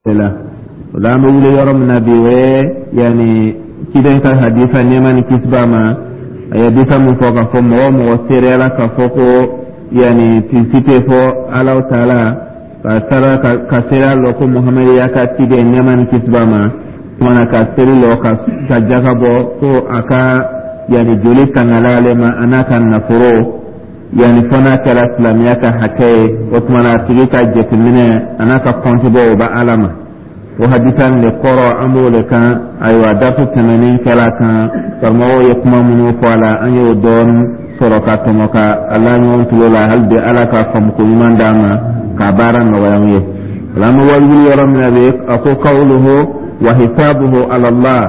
La o la, an bɛ wuli yɔrɔ min na bi, o ye yanni ciden ka hadisa, nɛɛma ni kisi b'a ma. A ye hadisa min fɔ k'a fɔ mɔgɔ o mɔgɔ seereyala k'a fɔ ko yanni tigi tɛ fɔ Alahu taala, ka sara ka seereya lɔ ko Muhamadu y'a ka ciden, nɛɛma ni kisi b'a ma, kumana ka seli lɔ, ka jaka bɔ, ko a ka yanni joli tangala ale ma, a n'a ka nafolo, yanni fo n'a kɛra silamɛya ka hakɛ ye. O tuma na, a tigi ka jateminɛ a n'a ka kɔnti bɔ, o bɛ Ala ma. O hadisa nin de kɔrɔ, an b'o de kan. Ayiwa, darisu tɛmɛnen kɛra kan, karamɔgɔw ye kuma minnu fɔ a la, an y'o dɔɔnin sɔrɔ ka tɔmɔ ka a la ɲɔgɔn tulo la. Hali bi, Ala ka faamuko ɲuman d'an ma k'a baara nɔgɔya an ye. O la, an bɛ wali yɔrɔ min na bi, a ko qawluhu wa hisabuhu ala Allah.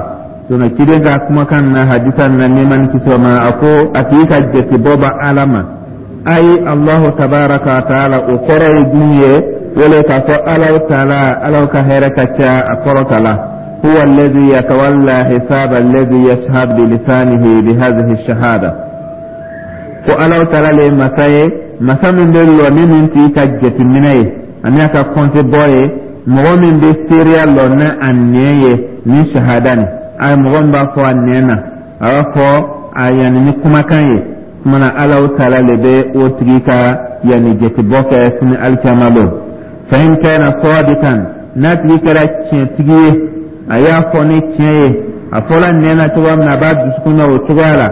Tuna ciden ka kumakan na hadisa na, nɛɛma ni kisi ma, a ko a tigi ka jatebɔ bɛ Ala ma, ayi Allahu tabaraka wa taala. O kɔrɔ ye jumɛn ye? O le k'a fɔ Alahu taala, Ala ka hɛrɛ ka ca a kɔrɔ ta la, huwa alladhi yatawalla hisaba alladhi yashhad bilisanihi bihadhihi shahada, ko Alahu taala le ye masa ye, masa min bɛ lɔ ni nin tigi ka jateminɛ ye ani a ka kɔnte bɔ ye, mɔgɔ min bɛ seereya lɔ ni a nɛn ye ni shahada nin. A ye mɔgɔ min b'a fɔ a nɛn na, a b'a fɔ a yanni ni kumakan ye, kumana Alahu taala le bɛ o tigi ka yanni jatebɔ kɛ sini alikiyama don. Fa in kana sadikan, n'a tigi kɛra tiɲɛtigi ye, a y'a fɔ ni tiɲɛ ye, a fɔla nɛn na cogoya min na, a b'a dusukun na o cogoya la,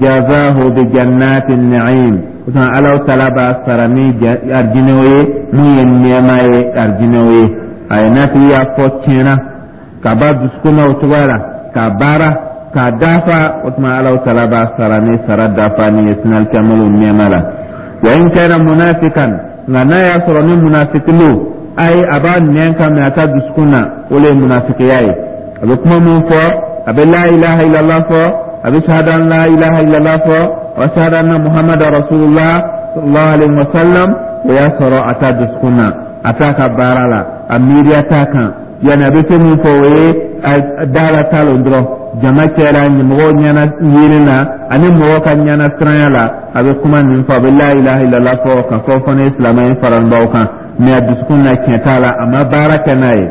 jazahu bi jannati na'im, o tuma Alahu taala b'a sara ni arijinɛw ye, mun ye nɛɛma ye, arijinɛw ye. A ye n'a tigi y'a fɔ tiɲɛ na, k'a b'a dusukun na o cogoya la, k'a baara k'a dafa, o tuma Alahu taala b'a sara ni sara dafa ni ye sini alikiyama nɛɛma la. Wa in kana munafikan, nka n'a y'a sɔrɔ ni munafiki lo, ayi, a b'a nɛn kan mɛ a ka dusukun na, o le ye munafikiya ye. A bɛ kuma mun fɔ, a bɛ la ilaha illallah fɔ, a bɛ shahada an la ilaha illallah fɔ, wa shahada anna Muhammad rasulullah sallallahu alaihi wa sallam, o y'a sɔrɔ a t'a dusukun na, a t'a ka baara la, a miiriya t'a kan. Yanni a bɛ fɛn min fɔ, o ye da la ta lon dɔrɔn, jama cɛla, mɔgɔw ɲɛna yiri na ani mɔgɔw ka ɲɛna siranya la, a bɛ kuma nin fɔ, a bɛ la ilaha illallah fɔ ka fɔ fana ye silamɛ ye faranbaw kan, mɛ a dusukun na tiɲɛ t'a la, a ma baara kɛ n'a ye,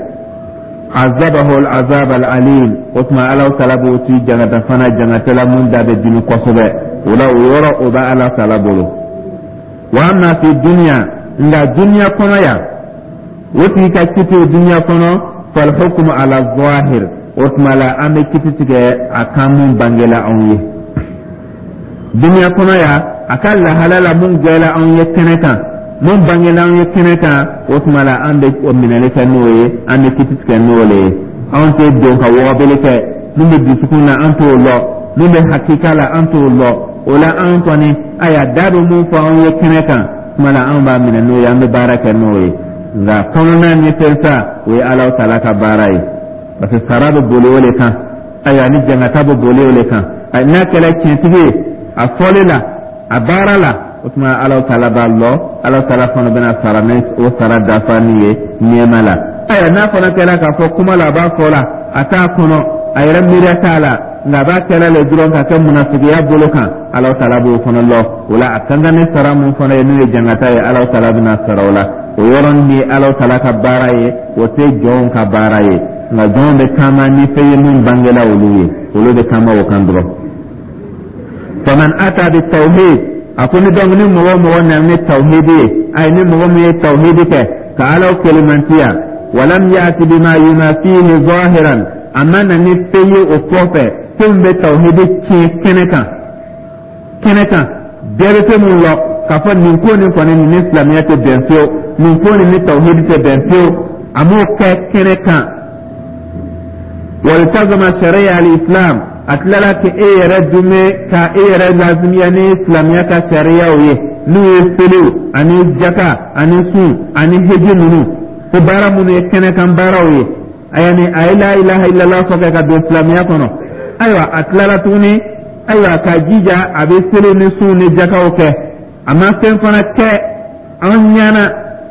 azabahu al-azab al-alim, o tuma Ala taala b'o ti jangata fana, jangatɛla mun da bɛ dimi kosɛbɛ. O la, o yɔrɔ, o bɛ Ala taala bolo. Wa amma fi dunya, nka duniya kɔnɔ yan, o tigi ka kiti duniya kɔnɔ, fal hukmu ala zahir, o tuma la an bɛ kiti tigɛ a kan mun bangela anw ye duniya kɔnɔ yan, a ka lahala la mun gɛlɛ anw ye kɛnɛ kan, mun bangela anw ye kɛnɛ kan, o tuma la an bɛ o minɛli kɛ n'o ye, an bɛ kiti tigɛ n'o le ye. Anw tɛ don ka wɔgɔbeli kɛ. Mun bɛ dusukun na, an t'o lɔ. Mun bɛ hakika la, an t'o lɔ. O la, an kɔni, ayiwa, da bɛ mun fɔ anw ye kɛnɛ kan, tuma la anw b'a minɛ n'o ye, an bɛ baara kɛ n'o ye. Nka kɔnɔna ni fɛn sa, o ye Ala taala ka baara ye, parce que sara bɛ boli o de kan, ayiwa, ni jangata bɛ boli o de kan. N'a kɛra tiɲɛtigi ye a fɔli la, a baara la, o tuma Ala taala b'a lɔ, Ala taala fana bɛna sara ni o sara dafa ni ye nɛɛma la. Ayiwa, n'a fana kɛra k'a fɔ kuma la, a b'a fɔ la, a t'a kɔnɔ, a yɛrɛ miiriya t'a la, nka a b'a kɛra le dɔrɔn ka kɛ munafigiya bolo kan, Ala taala b'o fana lɔ. O la, a ka kan ni sara mun fana ye, n'o ye jangata ye, Ala taala bɛna sara o la. O yɔrɔnin ye Ala taala ka baara ye, o tɛ jɔnw ka baara ye. Nka jɔnw bɛ taama ni fɛn ye mun bangela olu ye, olu bɛ taama o kan dɔrɔn. Faman ata bi tawhid, a ko ni donc ni mɔgɔ o mɔgɔ nana ni tawhidi ye, ayi, ni mɔgɔ min ye tawhidi kɛ ka Ala kelimantiya, walam yati bima yunafihi zahiran, a ma na ni fɛn ye o kɔfɛ, fɛn min bɛ tawhidi tiɲɛ kɛnɛ kan, kɛnɛ kan bɛɛ bɛ fɛn min lɔ k'a fɔ nin ko nin kɔni, nin ni silamɛya tɛ bɛn fiyewu, nin ko nin ni tawhidi tɛ bɛn fiyewu, a m'o kɛ kɛnɛ kan, waltazama sharia al-islam, a tilala ka e yɛrɛ dume ka e yɛrɛ lazimiya ni silamɛya ka sariyaw ye, n'u ye seliw ani jaka ani sun ani heji ninnu, ko baara minnu ye kɛnɛkan baaraw ye. Yani a ye la ilaha illallah fɔ kɛ ka don silamɛya kɔnɔ, ayiwa, a tilala tuguni, ayiwa, k'a jija a bɛ seli ni sun ni jakaw kɛ, a ma fɛn fana kɛ an ɲɛna,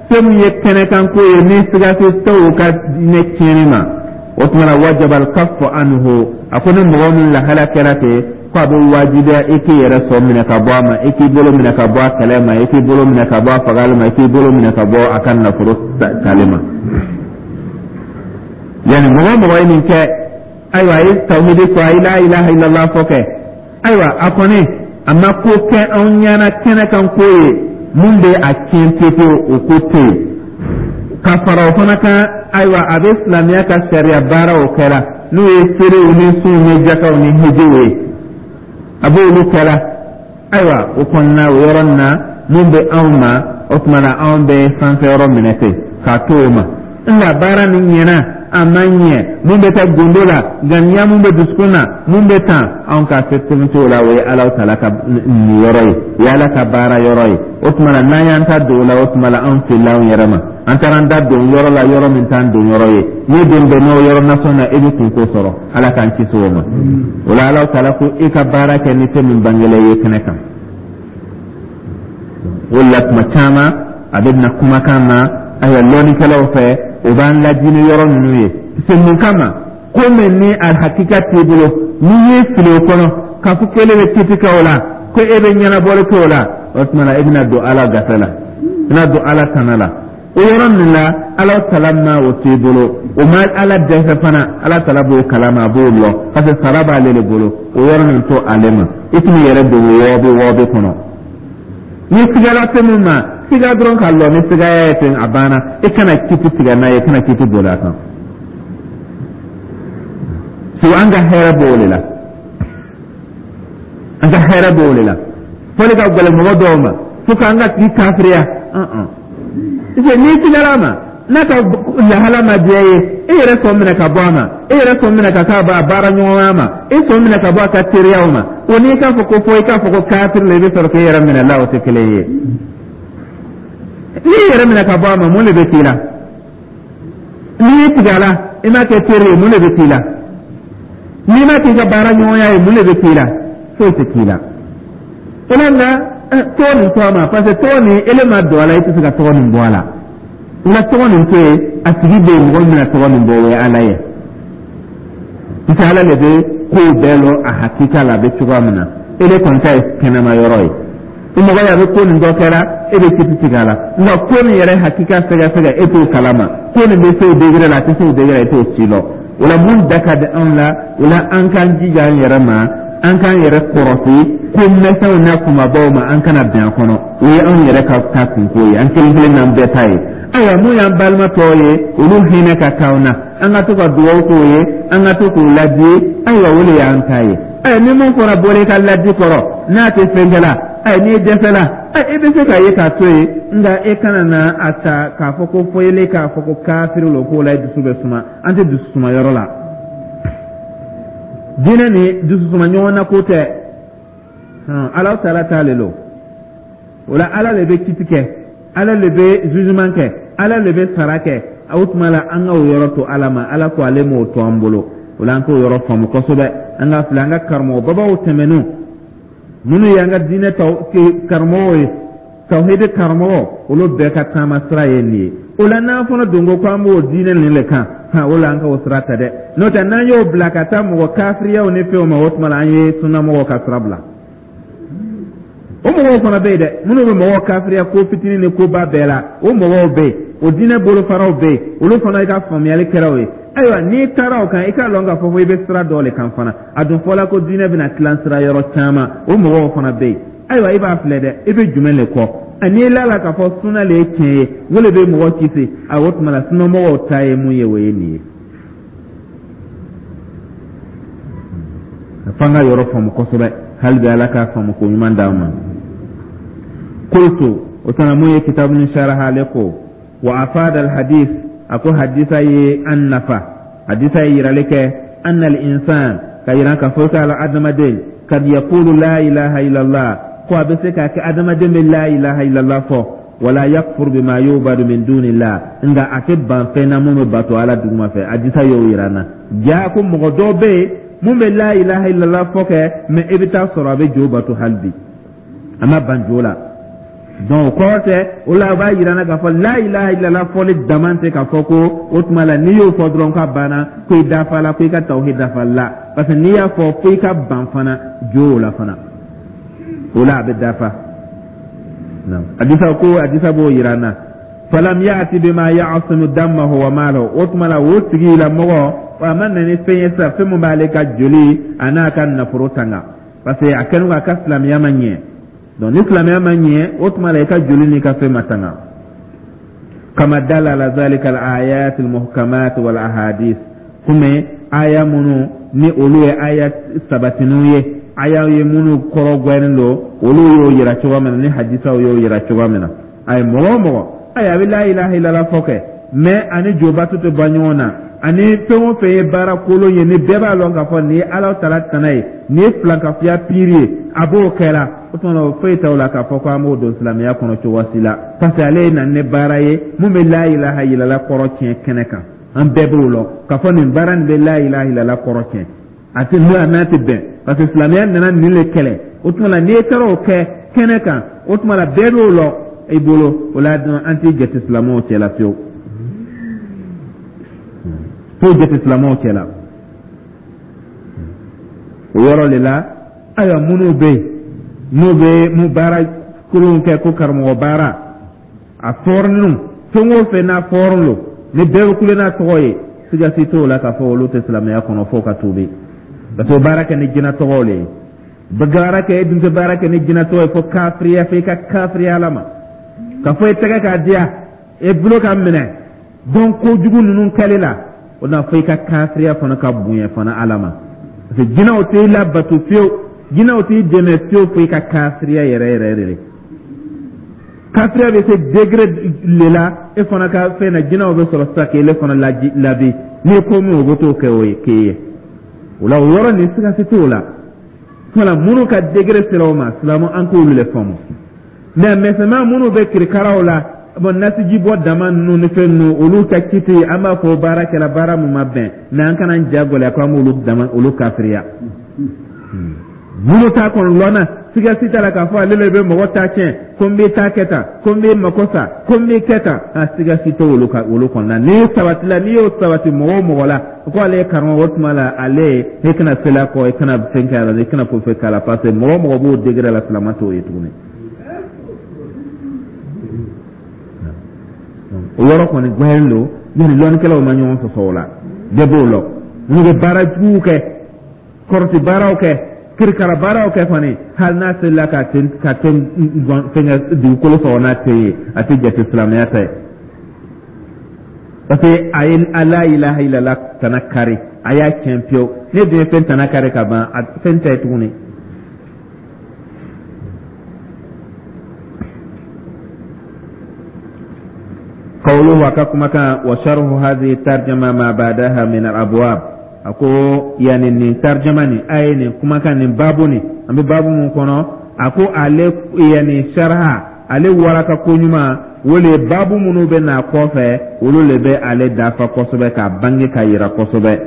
fɛn min ye kɛnɛkanko ye ni siga tɛ o ka diinɛ tiɲɛni ma, o tuma na wajaba al-kaffu anhu. A ko ni mɔgɔ min lahala kɛra ten, ko a bɛ wajibiya i k'i yɛrɛ sɔ minɛ ka bɔ a ma, i k'i bolo minɛ ka bɔ a kɛlɛ ma, i k'i bolo minɛ ka bɔ a fagali ma, i k'i bolo minɛ ka bɔ a ka nafolo tali ma. Yani mɔgɔ o mɔgɔ ye nin kɛ, ayiwa, a ye tawhidi fɔ, a ye la ilaha illallah fɔ kɛ, ayiwa, a kɔni a ma ko kɛ anw ɲɛna kɛnɛ kan ko ye mun bɛ a tiɲɛ pepewu, o ko tɛ yen. Ka fara o fana kan, ayiwa, a bɛ silamɛya ka sariya baaraw kɛra, n'o ye seliw ni sunw ni jakaw ni hijiw ye, a b'olu kɛra. Ayiwa, o kɔnɔna o yɔrɔ nin na, mun bɛ anw ma, o tuma na anw bɛ sanfɛ yɔrɔ minɛ ten k'a to o ma. Nka baara nin ɲɛna, a ma ɲɛ, mun bɛ taa gundo la, ŋaniya mun bɛ dusukun na, mun bɛ tan, anw ka se tɛmɛ t'o la. O ye Ala taala ka niyɔrɔ ye, o ye Ala ka baara yɔrɔ ye. O tuma na, n'an y'an ta don o la, o tuma la anw filila anw yɛrɛ ma. An taara an da don yɔrɔ la, yɔrɔ min t'an don yɔrɔ ye. N'i don bɛnna o yɔrɔ nasɔn na, i bɛ kunko sɔrɔ. Ala k'an kisi o ma. O la, Ala taala ko i ka baara kɛ ni fɛn min bangelen ye kɛnɛ kan. O la, tuma caman a bɛ na kumakan na, ayiwa, lɔnnikɛlaw fɛ, o b'an ladi ni yɔrɔ ninnu ye. Se mun kama? Ko min ni a hakika t'i bolo, n'i y'i fili o kɔnɔ k'a fɔ k'ele bɛ kiti kɛ o la, ko e bɛ ɲɛnabɔli kɛ o la, o tuma na e bɛna don Ala gafɛ la, i bɛna don Ala tana la. O yɔrɔ min la, Ala tala ma o t'i bolo, o ma Ala dɛsɛ fana. Ala tala b'o kalama, a b'o lɔ, parce que sara b'ale de bolo. O yɔrɔ nin to ale ma, i tɛn'i yɛrɛ don wɔɔbi wɔɔbi kɔnɔ. Ni sigala fɛn min ma, siga dɔrɔn ka lɔ ni sigaya ye ten, a banna. I kana kiti tigɛ n'a ye, i kana kiti boli a kan. So an ka hɛrɛ b'o de la, an ka hɛrɛ b'o de la. Fɔli ka gɛlɛn mɔgɔ dɔw ma fo k'an ka tigi kafiriya. Parce que n'i sigara a ma, n'a ka lahala ma diya ye, e yɛrɛ sɔn minɛ ka bɔ a ma, e yɛrɛ sɔn minɛ ka k'a ba baara ɲɔgɔnya ma, e sɔn minɛ ka bɔ a ka teriyaw ma. O n'i k'a fɔ ko fo i k'a fɔ ko kafiri la, i bɛ sɔrɔ k'e yɛrɛ minɛ la, o tɛ kelen ye. N'i yɛrɛ minɛ ka bɔ a ma, mun de bɛ k'i la? N'i y'i tigɛ a la, i m'a kɛ teri ye, mun de bɛ k'i la? N'i m'a k'i ka baara ɲɔgɔnya ye, mun de bɛ k'i la? Foyi tɛ k'i la. O la, nka tɔgɔ nin to a ma, parce que tɔgɔ nin, ele ma don a la, i tɛ se ka tɔgɔ nin bɔ a la. Nka tɔgɔ nin to yen, a tigi bɛ yen, mɔgɔ min bɛna tɔgɔ nin bɔ, o ye Ala ye, parce que Ala de bɛ kow bɛɛ lɔn a hakika la, a bɛ cogoya min na. Ele kɔni ta ye kɛnɛma yɔrɔ ye. O mɔgɔ ye, a bɛ ko nin dɔ kɛra, e bɛ kiti tigɛ a la, nka ko nin yɛrɛ hakika sɛgɛsɛgɛ, e t'o kalama. Ko nin bɛ se o degré la, a tɛ se o degré la, e t'o si lɔn. O la, mun da ka di anw la? O la, an k'an jija an yɛrɛ ma, an k'an yɛrɛ kɔrɔsi ko misɛnw n'a kunbabaw ma, an kana bɛn a kɔnɔ. O ye anw yɛrɛ ka ta kunko ye, an kelen kelen n'an bɛɛ ta ye. Ayiwa, mun y'an balima tɔw ye, olu hinɛ ka k'anw na, an ka to ka dugawu k'o ye, an ka to k'u ladi. Ayiwa, o de y'an ta ye. Ayiwa, ni mun fɔra bɔra i ka ladi kɔrɔ, n'a tɛ fɛn kɛ la, ayi, n'i dɛsɛla, ayi, i bɛ se k'a ye k'a to yen. Nka e kana na a ta k'a fɔ ko fo ele k'a fɔ ko kafiri lo, k'o la i dusu bɛ suma. An tɛ dusu suma yɔrɔ la. Diinɛ ni dusu suma ɲɔgɔn na ko tɛ. Ala taala t'ale lo. O la, Ala le bɛ kiti kɛ, Ala le bɛ jugement kɛ, Ala le bɛ sara kɛ. O tuma la, an ka o yɔrɔ to Ala ma. Ala ko ale m'o to an bolo. O la, an k'o yɔrɔ faamu kosɛbɛ. An ka filɛ an ka karamɔgɔ babaw tɛmɛnenw, minnu y'an ka diinɛ karamɔgɔw ye, tawhidi karamɔgɔ, olu bɛɛ ka taama sira ye nin ye. O la, n'an fana don ko k'an b'o diinɛ nin le kan, han, o la an ka o sira ta dɛ. N'o tɛ, n'an y'o bila ka taa mɔgɔ kafiriyaw ni fɛnw ma, o tuma la an ye sunnamɔgɔw ka sira bila. O mɔgɔw fana bɛ yen dɛ, minnu bɛ mɔgɔw kafiriya ko fitinin ni koba bɛɛ la, o mɔgɔw bɛ yen, o diinɛ bolofaraw bɛ yen, olu fana i ka faamuyali kɛra o ye. Ayiwa, n'i taara o kan, i k'a lɔn k'a fɔ ko i bɛ sira dɔ le kan fana. A dun fɔla ko diinɛ bɛna tilan sira yɔrɔ caman, o mɔgɔw fana bɛ yen. Ayiwa, i b'a filɛ dɛ, i bɛ jumɛn le kɔ? N'i lala k'a fɔ sunna le ye tiɲɛ ye, o le bɛ mɔgɔ kisi, a o tuma la sunnamɔgɔw ta ye mun ye, o ye nin ye. F'an ka yɔrɔ faamu kosɛbɛ hali bi. Ala k'a faamu ko ɲuman d'an ma. Qultu, o tana mun ye kitabu ni sharaha, ale ko wa afada al hadith, a ko hadisa ye an nafa. Hadisa ye yirali kɛ anna al insan, ka yira k'a fɔ k'a la adamaden kad yaqulu la ilaha illallah, ko a bɛ se k'a kɛ adamaden bɛ la ilaha illallah fɔ, wala yakfur bima yubadu min dunillah, nka a tɛ ban fɛn na mun bɛ bato Ala duguma fɛ. Hadisa y'o yira an na. Ja ko mɔgɔ dɔw bɛ yen mun bɛ la ilaha illallah fɔ kɛ, mais i bɛ taa sɔrɔ a bɛ jo bato hali bi, a ma ban jo la. Donc o kɔrɔ tɛ o la, o b'a yira n na k'a fɔ la ilaha illallah fɔli dama tɛ k'a fɔ ko o tuma la n'i y'o fɔ dɔrɔn k'a banna, ko i dafa la, ko i ka tawhid dafa la. Parce que n'i y'a fɔ, fo i ka ban fana jo o la fana, o la a bɛ dafa. Hadisa ko, hadisa b'o yira n na. Falam ya'ti bima ya'simu damahu wa malahu, o tuma la o tigilamɔgɔ a ma na ni fɛn ye sisan, fɛn min b'ale ka joli a n'a ka nafolo tanga, parce que a kɛlen k'a ka silamɛya ma ɲɛ. Donc ni silamɛya ma ɲɛ, o tuma la i ka joli n'i ka fɛn ma tanga. Kama dala ala zalika al ayat al muhkamat wal ahadith, komi aya minnu ni olu ye aya sabatiniw ye, aya ye minnu kɔrɔ gwɛnnen don, olu y'o yira cogoya min na, ni hadisaw y'o yira cogoya min na. Ayi, mɔgɔ o mɔgɔ, ayi, a bɛ la ilaha illallah fɔ kɛ, mais ani jobato tɛ bɔ ɲɔgɔn na, ani fɛn o fɛn ye baara kolon ye, ni bɛɛ b'a lɔn k'a fɔ nin ye Ala tala tana ye, nin ye filankafoya piri ye, a b'o kɛra. O tuma na o foyi t'o la k'a fɔ ko an b'o don silamɛya kɔnɔ cogo si la, parce que ale ye na ni baara ye mun bɛ la ilaha illallah kɔrɔ tiɲɛ kɛnɛ kan. An bɛɛ b'o lɔn k'a fɔ nin baara nin bɛ la ilaha illallah kɔrɔ tiɲɛ, a tɛ n'o n'a tɛ bɛn, parce que silamɛya nana nin le kɛlɛ. O tuma la n'i taara o kɛ kɛnɛ kan, o tuma la bɛɛ b'o lɔn i bolo, o la an t'i jate silamɛw cɛ la fiyewu, t'o jate silamɛw cɛ la. O yɔrɔ de la, ayiwa, minnu bɛ yen n'u bɛ mun baara kolonw kɛ, ko karamɔgɔ baara a fɔrɔninw, fɛn o fɛn n'a fɔrɔn lo, ni bɛɛ bɛ kule n'a tɔgɔ ye, siga si t'o la k'a fɔ olu tɛ silamɛya kɔnɔ f'o ka tuubi, parce que o baara kɛ ni jinɛ tɔgɔw le ye. Baara kɛ, e dun tɛ baara kɛ ni jinɛ tɔgɔ ye fo kafiriya, fo i ka kafiriya Ala ma, ka fɔ i tɛgɛ k'a diya, e bolo ka minɛ donc kojugu ninnu kɛli la, o na fo i ka kafiriya fana ka bonya fana Ala ma, parce que jinɛw t'i labato fiyewu, jinɛw t'i dɛmɛ fiyewu fo i ka kafiriya yɛrɛ yɛrɛ yɛrɛ de. Kafiriya bɛ se degré le la, e fana ka fɛn na, jinɛw bɛ sɔrɔ sisan k'ele fana labi n'i ye ko min, o bɛ t'o kɛ o ye k'e ye. O la o yɔrɔ nin, siga si t'o la. Wala minnu ka degré sera o ma, silamɛ, an k'olu le faamu. Mais misɛnman minnu bɛ kirikaraw la, bon, nasiji bɔ dama ninnu ni fɛn ninnu, olu ka kiti, an b'a fɔ baara kɛra baara mun ma bɛn, mais an kana ja gɛlɛya ko an b'olu dama olu kafiriya. Minnu t'a kɔnɔ lɔnna, siga si t'a la k'a fɔ ale le bɛ mɔgɔ ta tiɲɛ, ko n b'i ta kɛ tan, ko n b'i mako sa, ko n b'i kɛ tan, a siga si t'olu olu ka olu kɔnɔna. N'i sabatila, n'i y'o sabati mɔgɔ o mɔgɔ la ko ale ye karamɔgɔ, o tuma la ale, e kana seli a kɔ, e kana fɛn kɛ a la, e kana foyi foyi k'a la, parce que mɔgɔ o mɔgɔ b'o degré la, silama t'o ye tuguni. O yɔrɔ kɔni gbɛlen don, yani lɔnnikɛlaw ma ɲɔgɔn sɔsɔ o la, bɛɛ b'o lɔn. Minnu bɛ baara juguw kɛ, kɔrɔti baaraw kɛ, kirikara baaraw kɛ kɔni, hali n'a selila ka ten ka ten fɛnkɛ dugukolo sɔrɔ n'a tɛ ye, a tɛ jate silamɛya ta ye, parce que a ye la ilaha illallah tana kari, a y'a tiɲɛ pewu. Ne dun ye fɛn tana kari ka ban, a fɛn tɛ ye tuguni. Qawluhu, a ka kumakan, wa sharhu hadhihi tarjama ma ba'daha min al-abwab, a ko yani nin tarjama nin, a ye nin kumakan nin, babu nin, an bɛ babu mun kɔnɔ, a ko ale yani sharha, ale waraka ko ɲuman, o le babu minnu bɛ na kɔfɛ, olu le bɛ ale dafa kosɛbɛ, k'a bange k'a yira kosɛbɛ.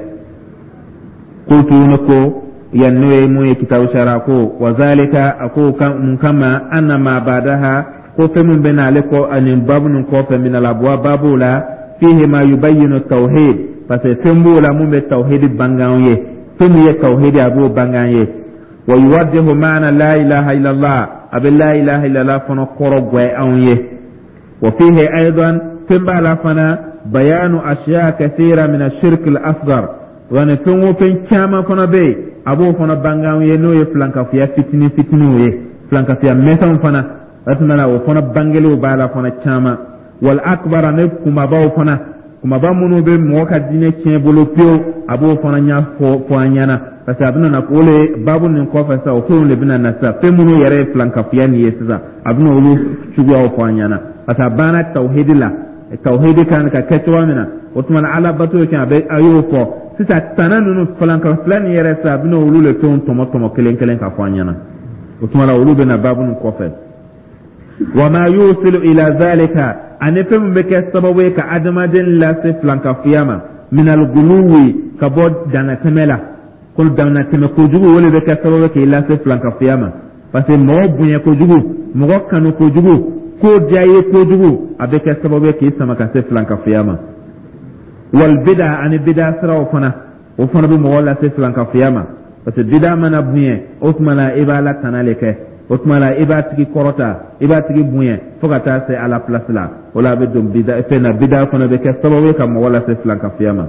Qultu, ne ko, yan n'o ye mun ye kitabu sara ko wa zalika, a ko mun kama, anna ma ba'daha, ko fɛn min bɛ na ale kɔ ani babu nin kɔfɛ, min al-abwab, babu la, fihi ma yubayyinu tawhid, parce que fɛn b'o la mun bɛ tawhid bange an ye, fɛn min ye tawhid, a b'o bange an ye, wa yuwaddihu ma'na la ilaha illallah, a bɛ la ilaha illallah fana kɔrɔ gwɛ anw ye, wa fihi aidan, fɛn b'a la fana, bayanu ashiya kathira min ashirk al-asghar, wani fɛn o fɛn caman fana bɛ yen, a b'o fana bange anw ye, n'o ye filankafoya fitinin fitininw ye, filankafoya misɛnw fana, o tuma na o fana bangeliw b'a la fana caman, wal akbar, ani kunbabaw fana, kunbaba minnu bɛ mɔgɔ ka diinɛ tiɲɛ bolo pewu, a b'o fana ɲɛfɔ fɔ an ɲɛna, parce que a bɛna na o le baabu nin kɔfɛ sisan, o fɛnw de bɛna na sisan, fɛn minnu yɛrɛ ye filankafoya nin ye sisan, a bɛna olu cogoyaw fɔ an ɲɛna, parce que a banna tawhidi la, tawhidi kan ka kɛ cogoya min na, o tuma na ala bato kɛ, a bɛ a y'o fɔ sisan, tana ninnu filankafoya nin yɛrɛ sisan, a bɛna olu le fɛnw tɔmɔ tɔmɔ kelen kelen ka fɔ an ɲɛna. O tuma na olu bɛna baabu nin kɔfɛ. Wa ma yusilu ila zalika, ani fɛn min bɛ kɛ sababu ye ka adamaden lase filankafoya ma, minal guluwi, ka bɔ dannatɛmɛ la, ko dannatɛmɛ kojugu, o de bɛ kɛ sababu ye k'i lase filankafoya ma, parce que mɔgɔ bonya kojugu, mɔgɔ kanu kojugu, ko diya ye kojugu, a bɛ kɛ sababu ye k'i sama ka se filankafoya ma. Wal bida, ani bida siraw fana, o fana bɛ mɔgɔ lase filankafoya ma, parce que bida mana bonya, o tuma na i b'a la tana le kɛ. O tuma la, i b'a tigi kɔrɔta, i b'a tigi bonya fo ka taa se Ala place la. O la, a bɛ don bida fɛn na. Bida fana bɛ kɛ sababu ye ka mɔgɔ lase filankafoya ma.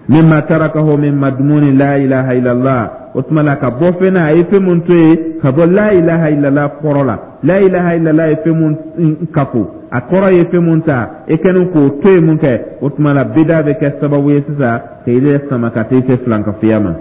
Mimma tarakahu min madmuni la ilaha illallah, o tuma la, ka bɔ fɛn na, a ye fɛn mun to yen ka bɔ la ilaha illallah kɔrɔ la. La ilaha illallah ye fɛn mun kafo, a kɔrɔ ye fɛn mun ta, e kɛlen k'o to yen mun kɛ, o tuma la, bida bɛ kɛ sababu ye sisan k'i yɛrɛ sama ka taa se filankafoya ma.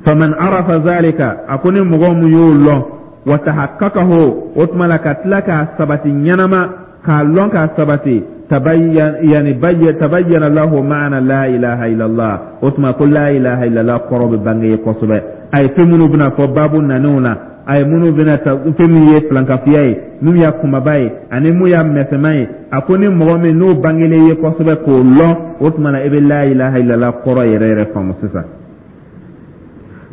Faman arafa zalika, a ko ni mɔgɔ mun y'o lɔn, wa tahaqqaqahu, o tuma la, ka tila k'a sabati ɲɛnama, k'a lɔn k'a sabati, yani tabayyana lahu ma'ana la ilaha illallah, o tuma ko la ilaha illallah kɔrɔ bɛ bange ye kosɛbɛ. A ye fɛn minnu bɛna fɔ baabu nanenw na, a ye minnu bɛna ta, fɛn min ye filankafiya ye, min y'a kunbaba ye ani mun y'a mɛsɛman ye, a ko ni mɔgɔ min n'o bangelen ye kosɛbɛ k'o lɔn, o tuma na, i bɛ la ilaha illallah kɔrɔ yɛrɛ yɛrɛ faamu sisan.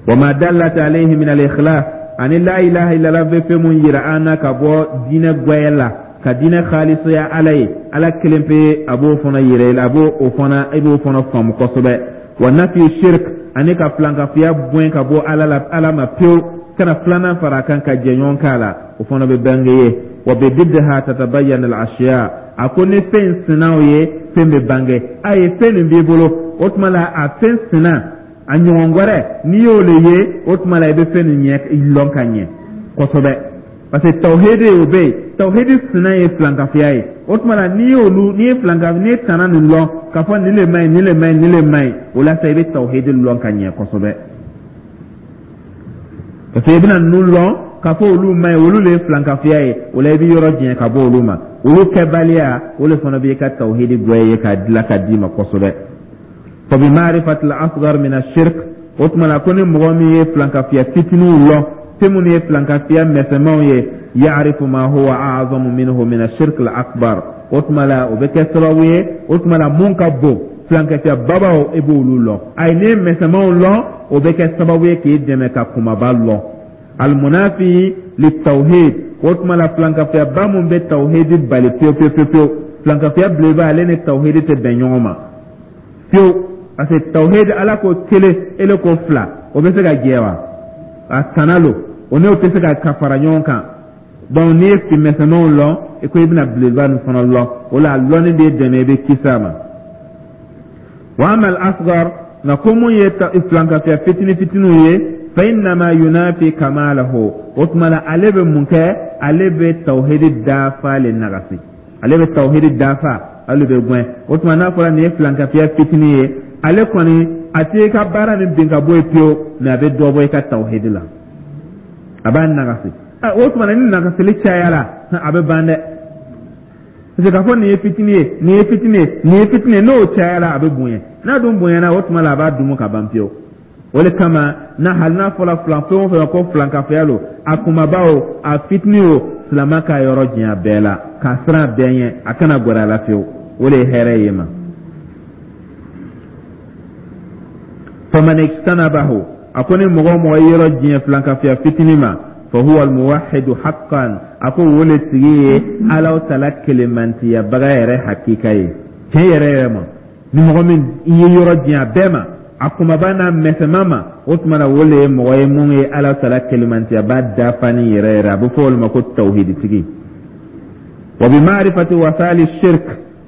Wa ma dallat alayhi min al-ikhlas, ani la ilaha illallah bɛ fɛn mun yira an na ka bɔ diinɛ gwɛyɛ la, ka diinɛ khalisaya Ala ye, Ala kelen pe, a b'o fana yira i la, a b'o o fana, i b'o fana faamu kosɛbɛ. Wa nafi shirk, ani ka filankafiya gɛn ka bɔ Ala la, Ala ma pewu, kana filanan fara a kan ka jɛɲɔgɔn k'a la, o fana bɛ bange ye. Wa bididdiha tatabayyana al-ashya, a ko ni fɛn sinaw ye, fɛn bɛ bange a ye. Fɛn nin b'i bolo, o tuma la, a fɛn sina a ɲɔgɔn wɛrɛ, n'i y'o le ye, o tuma la, i bɛ fɛn nin ɲɛ lɔn ka ɲɛ kosɛbɛ, parce que tawhidi, o bɛ yen, tawhidi sina ye filankafiya ye. O tuma la, n'i y'olu, n'i ye filanka, n'i ye tana nin lɔn k'a fɔ nin le man ɲi, nin le man ɲi, nin le man ɲi, o la sa, i bɛ tawhidi lɔn ka ɲɛ kosɛbɛ, parce que i bɛna ninnu lɔn k'a fɔ olu man ɲi, olu le ye filankafiya ye. O la, i bɛ yɔrɔ janya ka bɔ olu ma. Olu kɛbaliya, o le fana b'i ka tawhidi gwɛye ye k'a dilan ka d'i ma kosɛbɛ. Fa bi ma'rifati al-asghar min ash-shirk, o tuma la, ko ni mɔgɔ min ye filankafiya fitininw lɔn, fɛn minnu ye filankafiya mɛsɛmanw ye, ya'rifu ma huwa a'zamu minhu min ash-shirk al-akbar, o tuma la, o bɛ kɛ sababu ye, o tuma la, mun ka bon, filankafiya babaw, i b'olu lɔn. Ayi, n'i ye mɛsɛmanw lɔn, o bɛ kɛ sababu ye k'i dɛmɛ ka kumaba lɔn. Almunafi litawhid, o tuma la, filankafiyaba mun bɛ tawhidi bali pewu pewu pewu pewu, filankafiya belebele, ale ni tawhidi tɛ bɛn ɲɔgɔn ma pewu, parce que tawhidi, Ala ko kelen, ele ko fila, o bɛ se ka jɛ wa? A tana lo, o n'o tɛ se ka fara ɲɔgɔn kan. Donc n'i ye misɛnmanw lɔn, i ko i bɛna belebeleba nin fana lɔn, o la, a lɔnni b'e dɛmɛ, i bɛ kisi a ma. Wa ama al asgar, nka ko mun ye filankafiya fitini fitiniw ye, fa innama yunafi kamalahu, o tuma la, ale bɛ mun kɛ? Ale bɛ tawhidi dafa le nagasi, ale bɛ tawhidi dafa, ale bɛ gɛn. O tuma, n'a fɔra nin ye filankafiya fitini ye, ale kɔni a tɛ i ka baara nin bin ka bɔ yen pewu, mais a bɛ dɔ bɔ i ka tawhidi la, a b'a nagasi. O tuma na, ni nagasili cayara, a bɛ ban dɛ, parce que k'a fɔ nin ye fitini ye, nin ye fitini ye, nin ye fitini ye, n'o cayara, a bɛ bonya. N'a dun bonyana, o tuma la, a b'a dumu ka ban pewu. O de kama na, hali n'a fɔra filan fɛn o fɛn ko filankafoya lo, a kunbaba o, a fitini o, silama ka yɔrɔ janya bɛɛ la, k'a siran bɛɛ ɲɛ, a kana gɛrɛ a la fiyewu, o de ye hɛrɛ ye ma. Faman ijtanabahu, a ko ni mɔgɔ o mɔgɔ ye yɔrɔ janya filankafoya fitini ma, fa huwa almuwahidu haqqan, a ko o le tigi ye Alaw tala kelenmantiyabaga yɛrɛ hakika ye tiɲɛ yɛrɛ yɛrɛ ma. Ni mɔgɔ min i ye yɔrɔ janya bɛɛ ma, a kunbaba n'a mɛsɛman ma, o tuma na, o le ye mɔgɔ ye mun ye Ala tala kelenmantiyaba dafani yɛrɛ yɛrɛ, a bɛ fɔ o le ma ko tawhiditigi. Wa bi ma'rifati wasali shirk,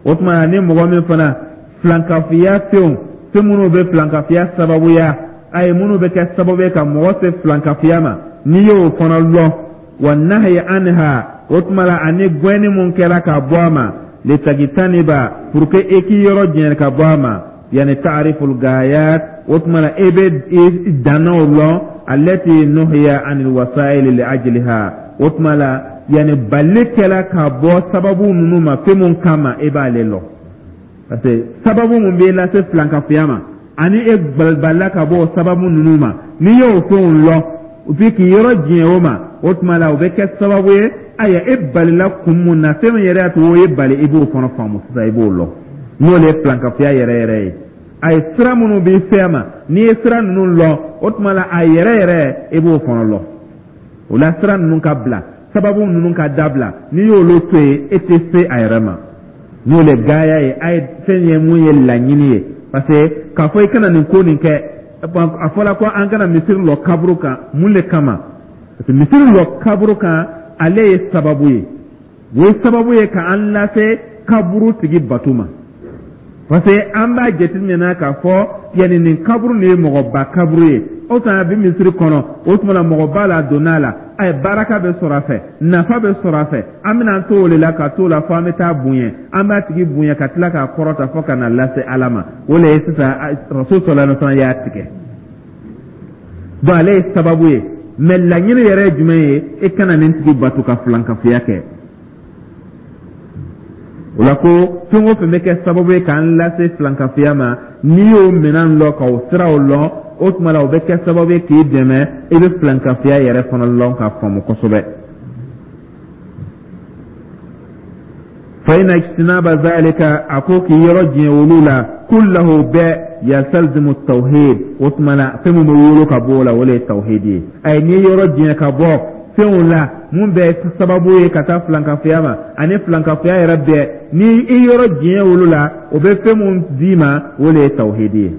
o tuma na, ni mɔgɔ min fana filankafiya fɛnw, fɛn minnu bɛ filankafiya sababuya, a ye minnu bɛ kɛ sababu ye ka mɔgɔ se filankafiya ma, n'i y'o fana lɔn, wa nahyi anha, o tuma la, ani gɛnni mun kɛra ka bɔ a ma, litajtaniba, pour que e k'i yɔrɔ janya ka bɔ a ma, yani ta'riful gayat, o tuma la, e bɛ dannaw lɔn, allati nuhiya anil wasail li ajliha, o tuma la, yani bali kɛla ka bɔ sababu ninnu ma fɛn mun kama, e b'ale lɔn, parce que sababu mun b'e lase filankafoya ma, ani e balila ka bɔ o sababu ninnu ma, n'i y'o fɛnw lɔn, puis k'i yɔrɔ janya o ma, o tuma la, o bɛ kɛ sababu ye, ayiwa, e balila kun mun na, fɛn min yɛrɛ y'a to o ye bali, i b'o fana faamu sisan, i b'o lɔn, n'o de ye filankafoya yɛrɛ yɛrɛ ye. A ye sira minnu b'i fɛ ma, n'i ye sira ninnu lɔn, o tuma la, a yɛrɛ yɛrɛ, i b'o fana lɔn. O la, sira ninnu ka bila, sababu ninnu ka dabila, n'i y'olu to yen, e tɛ se a yɛrɛ ma, n'o le gaaya ye. A ye fɛn ye mun ye laɲini ye, parce que k'a fɔ i kana nin ko nin kɛ, a fɔra ko an kana misiri lɔ kaburu kan, mun le kama? Parce que misiri lɔ kaburu kan, ale ye sababu ye, o ye sababu ye ka an lase kaburu tigi bato ma, parce que an b'a jateminɛ k'a fɔ yanni nin kaburu nin ye mɔgɔba kaburu ye. O tuma a bɛ misiri kɔnɔ, o tuma la mɔgɔba la donna a la, a ye baraka bɛ sɔrɔ a fɛ, nafa bɛ sɔrɔ a fɛ. An bɛna an to o de la ka t'o la fo an bɛ taa bonya, an b'a tigi bonya ka tila k'a kɔrɔta fo ka na lase Ala ma. O de ye sisan Rasul sallallahu alaihi wa sallam y'a tigɛ. Donc ale ye sababu ye, mais laɲini yɛrɛ ye jumɛn ye? E kana nin tigi bato ka filankafoya kɛ. O la ko fɛn o fɛn bɛ kɛ sababu ye k'an lase filankafoya ma, n'i y'o minɛn lɔn, k'o siraw lɔn, o tuma la o bɛ kɛ sababu ye k'i dɛmɛ i bɛ filankafoya yɛrɛ fana lɔn k'a faamu kosɛbɛ. Fa inna ijtinaba zalika, a ko k'i yɔrɔ janya olu la, kullahu bɛɛ, yastalzimu tawhid. O tuma la fɛn min bɛ wolo ka bɔ o la, o de ye tawhid ye. Ayi, n'i ye yɔrɔ janya ka bɔ fɛnw la mun bɛ sababu ye ka taa filankafoya ma, ani filankafoya yɛrɛ bɛɛ, ni i yɔrɔ janya olu la, o bɛ fɛn mun d'i ma, o de ye tawhidi ye.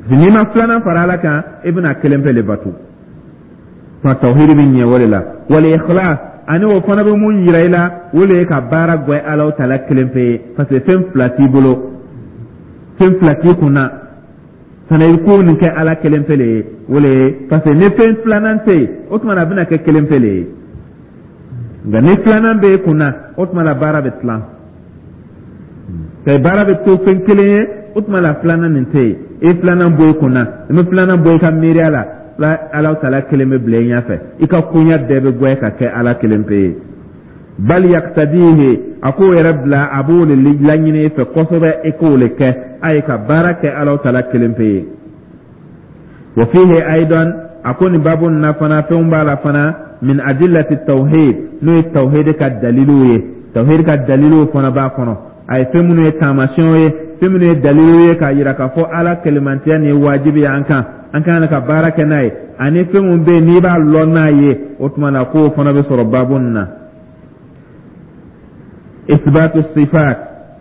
N'i ma filanan fara Ala kan, i bɛna kelen pe le bato. Tuma tawhidi bɛ ɲɛ o de la. Wal ikhlas, ani o fana bɛ mun yira i la, o de ye ka baara gwɛ Ala taala kelen pe ye, parce que fɛn fila t'i bolo, fɛn fila t'i kun na fana, i ko nin kɛ Ala kelen pe le ye. O le ye, parce que ni fɛn filanan tɛ yen, o tuma na a bɛna kɛ kelen pe le ye. Nka ni filanan bɛ e kun na, o tuma la baara bɛ tilan, baara bɛ to fɛn kelen ye. O tuma la filanan nin tɛ yen, i filanan bɔ i kun na, i bɛ filanan bɔ i ka miiriya la, Ala taala kelen bɛ bila i ɲɛfɛ, i ka koɲɛ bɛɛ bɛ gwɛ ka kɛ Ala kelen pe ye. Bal yaktadihi, a k'o yɛrɛ bila, a b'o de laɲini i fɛ kosɛbɛ, i k'o de kɛ, a ye ka baara kɛ Ala taala kelen pe ye. Wa fihi aidan, a ko nin babu nin na fana, fɛnw b'a la fana, min adillati tawhid, n'o ye tawhid ka daliluw ye, tawhid ka daliluw fana b'a kɔnɔ. A ye fɛn minnu ye taamasiyɛnw ye, fɛn minnu ye daliluw ye k'a yira k'a fɔ Ala kelemantiya nin ye wajibi ye an kan, an kan ka baara kɛ n'a ye, ani fɛn min bɛ yen n'i b'a lɔn n'a ye, o tuma na k'o fana bɛ sɔrɔ baabu nin na. Isbatu sifat,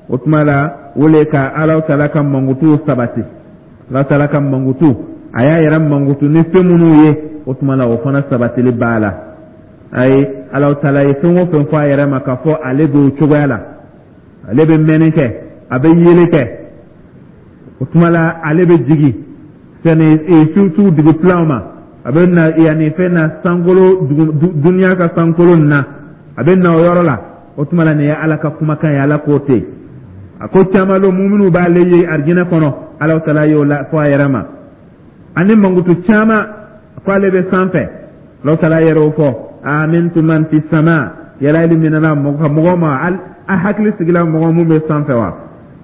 o tuma la o le ka Ala taala ka mankutuw sabati. Ala taala ka mankutu, a y'a yɛrɛ mankutu ni fɛn minnu ye, o tuma la o fana sabatili b'a la. Ayi, Ala taala ye fɛn o fɛn fɔ a yɛrɛ ma k'a fɔ ale b'o cogoya la, ale bɛ mɛnni kɛ, a bɛ yeli kɛ, o tuma la ale bɛ jigin sani su dugu filaw ma, a bɛ na yanni fɛn na sankolo duniya ka sankolo na, a bɛ na o yɔrɔ la. O tuma la nin ye Ala ka kumakan ye, Ala ko ten. A ko caman lo muminu b'ale ye arijinɛ kɔnɔ, Ala taala y'o la fɔ a yɛrɛ ma, ani mankutu caman ko ale bɛ sanfɛ, Ala taala yɛrɛ o fɔ: amintum man fi sama, yala ili minɛna mɔgɔ ma, a hakili sigila mɔgɔ mun bɛ sanfɛ wa?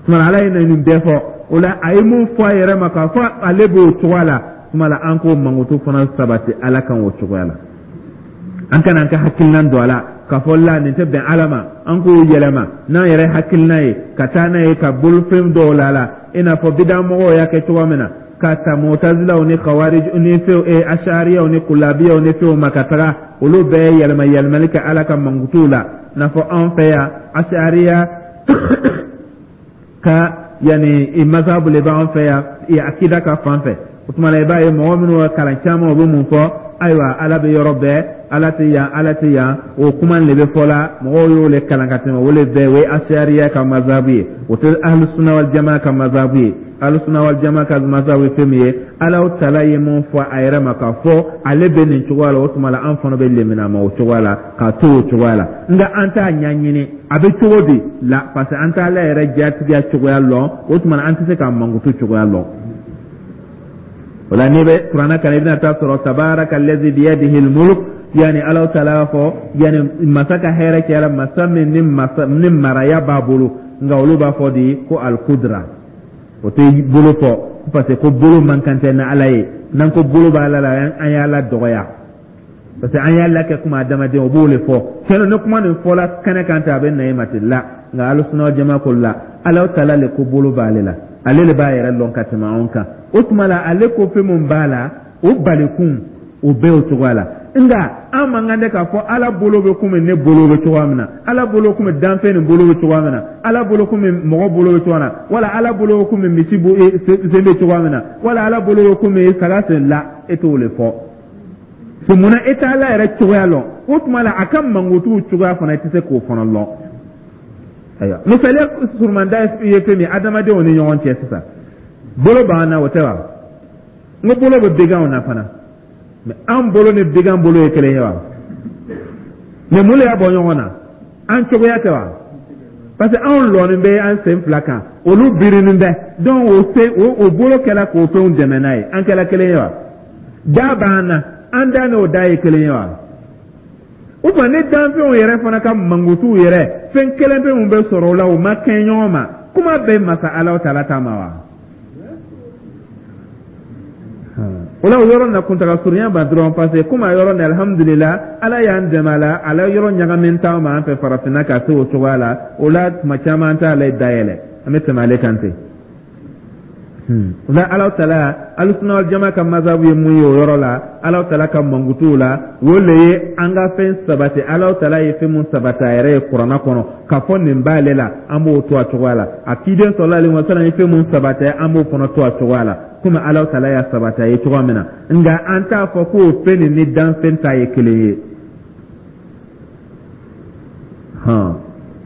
Tuma la Ala ye nin bɛɛ fɔ. O la a ye mun fɔ a yɛrɛ ma k'a fɔ ale b'o cogoya la, tuma la an k'o mankutu fana sabati Ala kan o cogoya la. An kana an ka hakilinan don a la k'a fɔ la nin tɛ bɛn Ala ma, an k'o yɛlɛma n'an yɛrɛ hakilina ye ka taa n'a ye ka bolofɛn dɔw la la, i n'a fɔ bidamɔgɔw y'a kɛ cogoya min na, ka ta mutazilaw ni khawarij ni fɛnw, ashariyaw ni kulabiyaw ni fɛnw ma, ka taga olu bɛɛ yɛlɛma yɛlɛmali kɛ Ala ka mankutuw la. N'a fɔ anw fɛ yan, ashariya ka yanni mazhabu le b'an fɛ yan akida ka fan fɛ. O tuma la i b'a ye mɔgɔ minnu ka kalan caman, o bɛ mun fɔ? Ayiwa, Ala bɛ yɔrɔ bɛɛ, Ala tɛ yan, Ala tɛ yan, o kuma le bɛ fɔ la. Mɔgɔw y'o le kalan ka tɛmɛ, o le bɛɛ o ye ashariya ka mazhabu ye, o tɛ ahlusuna wal jamaa ka mazhabu ye. Ahlusuna wal jamaa ka mazhabu ye fɛn min ye, Ala taala ye mun fɔ a yɛrɛ ma k'a fɔ ale bɛ nin cogoya la, o tuma la an fana bɛ lemina ma o cogoya la, k'a to o cogoya la. Nka an t'a ɲɛɲini a bɛ cogo di la, parce que an t'Ala yɛrɛ jatigiya cogoya lɔn, o tuma na an tɛ se k'a mankutu cogoya lɔn. O la n'i bɛ kuranɛ kalan, i bɛna taa sɔrɔ tabaraka allazi biyadihi almulk, yani Ala taala b'a fɔ yani masa ka hɛrɛ kɛra masa min ni masa ni maraya b'a bolo. Nka olu b'a fɔ di ko alkudra, o tɛ bolo fɔ, parce que ko bolo man kan tɛ ni Ala ye. N'an ko bolo b'Ala la, an y'Ala dɔgɔya, parce que an y'a lakɛ kuma adamaden, o b'o le fɔ. Tiɲɛ ni kuma nin fɔla kɛnɛ kan ten, a bɛ na e ma ten la. Nka alusuna jama ko la, Ala taala le ko bolo b'ale la, ale le b'a yɛrɛ lɔn ka tɛmɛ anw kan. O tuma la ale ko fɛn min b'a la, o balikun o bɛɛ o cogoya la. Nka an man kan tɛ k'a fɔ Ala bolo bɛ komi ne bolo bɛ cogoya min na, Ala bolo komi danfɛn nin bolo bɛ cogoya min na, Ala bolo komi mɔgɔ bolo bɛ cogoya min na, wala Ala bolo bɛ komi misi sen bɛ cogoya min na, wala Ala bolo bɛ komi saga sen la. E t'o le fɔ. So munna e tɛ Ala yɛrɛ cogoya lɔn? O tuma la, a ka mankutuw cogoya fana, i tɛ se k'o fana lɔn. Ayiwa, misaliya surumanda ye fɛn min ye adamadenw ni ɲɔgɔn cɛ sisan, bolo b'an na, o tɛ wa? N ko bolo bɛ baganw na fana, mais an bolo ni bagan bolo ye kelen ye wa? Mais mun de y'a bɔ ɲɔgɔn na? An cogoya tɛ wa? Parce que anw lɔnin bɛ an sen fila kan, olu birinin bɛ. Donc o sen o bolo kɛla k'o fɛnw dɛmɛ n'a ye, an kɛla kelen ye wa? Da b'an na, an da n'o da ye kelen ye wa? O tuma, ni danfɛnw yɛrɛ fana ka mankutuw yɛrɛ, fɛn kelen pe mun bɛ sɔrɔ o la, o ma kɛɲɛ ɲɔgɔn ma, kuma bɛ masa Alahu taala ta ma wa? O la, o yɔrɔ na kuntaga surunya ba dɔrɔn, parce que komi a yɔrɔ ni, alihamudulila, Ala y'an dɛmɛ a la, a la yɔrɔ ɲagamin t'an ma an fɛ farafinna ka se o cogoya la. O la, tuma caman an t'ale dayɛlɛ, an bɛ tɛmɛ ale kan ten. O la, Ala taala, Alusuna wal jama ka mazabu ye mun ye o yɔrɔ la, Ala taala ka mankutuw la, o le ye an ka fɛn sabati. Ala taala ye fɛn mun sabati a yɛrɛ ye kuranna kɔnɔ k'a fɔ nin b'ale la, an b'o to a cogoya la. A ciden sɔlɔlahu alayhi wa sallam ye fɛn mun sabati, an b'o fana to a cogoya la, komi Ala taala y'a sabati a ye cogoya min na. Nka an t'a fɔ k'o fɛn nin ni danfɛn ta ye kelen ye. Hɔn,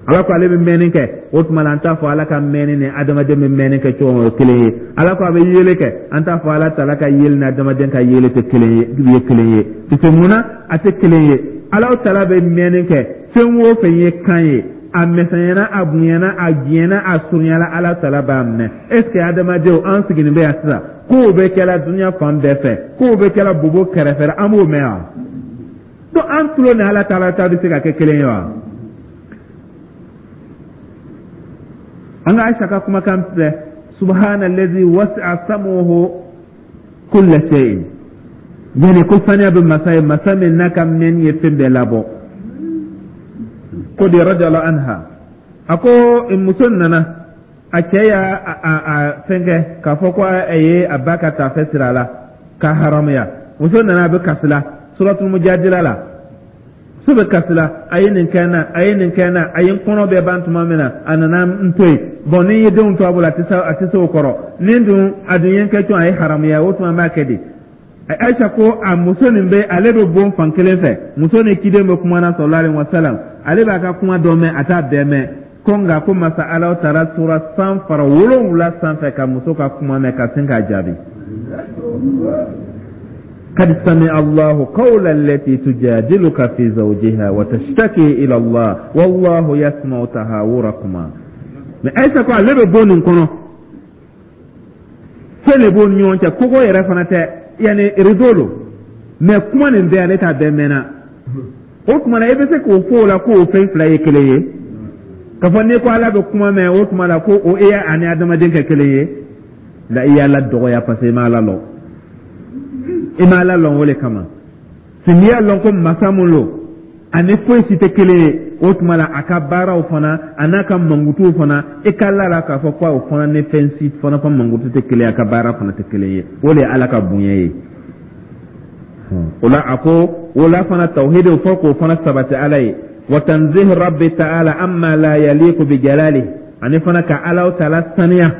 Ala ko ale bɛ mɛnni kɛ, o tuma la, an t'a fɔ Ala ka mɛnni ni adamaden bɛ mɛnni kɛ cogo min, o kelen ye. Ala ko a bɛ yeli kɛ, an t'a fɔ Ala taala ka yeli ni adamaden ka yeli tɛ kelen ye, ye kelen ye. Parce que mun na a tɛ kelen ye? Ala taala bɛ mɛnni kɛ, fɛn o fɛn ye kan ye, a misɛnyana, a bonyana, a janyana, a surunyala, Ala taala b'a mɛn. Est ce que adamadenw, an sigilen bɛ yan sisan, kow bɛ kɛla dunuya fan bɛɛ fɛ, kow bɛ kɛla bobo kɛrɛfɛ, an b'o mɛn wa? Donc an tulo ni Ala taala ta bɛ se ka kɛ kelen ye wa? An ka Aisha ka kumakan filɛ: subhana allazi wasi'a sam'uhu kulla shay'in, yani ko saniya bɛ masa ye, masa min n'a ka mɛnni ye fɛn bɛɛ labɔ. Ko de radiyallahu anha, a ko muso nana, a cɛ y'a a fɛnkɛ k'a fɔ ko a ye a ba ka taafe siri a la k'a haramuya. Muso nana, a bɛ kasi la, suratul mujadila la. So bɛ kasi la: a ye nin kɛ n na, a ye nin kɛ n na, a ye n kɔnɔ bɛɛ ban tuma min na, a nana n to yen. Bɔn, ni n ye denw to a bolo, a tɛ se o kɔrɔ. Ni dun a dun ye n kɛ cogo, a ye haramuya, o tuma n b'a kɛ di? Aisha ko a muso nin bɛ, ale bɛ bon fan kelen fɛ, muso ni ciden bɛ kuma na sallallahu alaihi wasallam, ale b'a ka kuma dɔ mɛn, a t'a bɛɛ mɛn. Ko nka ko masa Ala taala tora san fara 7 sanfɛ ka muso ka kuma mɛn ka sin k'a jaabi: قد سمع الله قول التي تجادلك في زوجها وتشتكي إلى الله والله يسمع تهاوركما. Mais Aïcha ko ale bɛ bon nin kɔnɔ, fɛn de b'o ni ɲɔgɔn cɛ, kogo yɛrɛ fana tɛ, yanni rideau lo, mais kuma nin bɛɛ, ale t'a bɛɛ mɛnna. O tuma na, e bɛ se k'o fɔ o la k'o fɛn fila ye kelen ye, k'a fɔ n'i ko Ala bɛ kuma mɛn, o tuma la ko o e ani adamaden kɛ kelen ye la, i y'Ala dɔgɔya, parce que i ma Ala lɔn. I ma Ala lɔn, o le kama. N'i y'a lɔn ko masa mun lo, ani foyi si tɛ kelen ye, o tuma la, a ka baaraw fana, a n'a ka mankutuw fana, i ka la la k'a fɔ ko o fana ni fɛn si fana ka mankutu tɛ kelen ye, a ka baara fana tɛ kelen ye. O de ye Ala ka bonya ye. O la, a ko o la fana, tawhidi fɔ k'o fana sabati Ala ye, wa tanzih rabbi ta'ala amma la yaliqu bi jalali, ani fana ka Ala taala saniya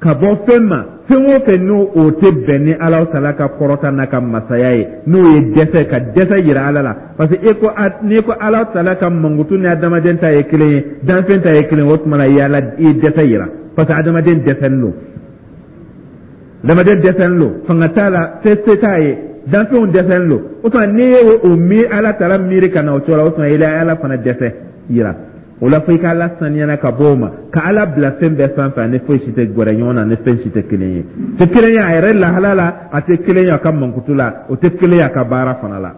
ka bɔ fɛn ma, fɛn o fɛn n'o o tɛ bɛn ni Ala taala ka kɔrɔta n'a ka masaya ye, n'o ye dɛsɛ, ka dɛsɛ yira Ala la. Parce que e ko, n'i ko Ala taala ka mankutu ni adamaden ta ye kelen ye, danfɛn ta ye kelen ye, o tuma la, i y'Ala, i ye dɛsɛ yira, parce que adamaden dɛsɛlen don, adamaden dɛsɛlen don, fanga t'a la, se se t'a ye, danfɛnw dɛsɛlen don. O tuma, n'i ye o miiri, Ala taala miiri ka na o cogo la, o tuma i la Ala fana dɛsɛ yira. O la, fo i ka Ala saniyana ka bɔ o ma, ka Ala bila fɛn bɛɛ sanfɛ, ani foyi si tɛ gɛrɛ ɲɔgɔn na, ni fɛn si tɛ kelen ye, tɛ kelen ye a yɛrɛ lahala la, a tɛ kelen ye a ka mankutu la, o tɛ kelen ye a ka baara fana la.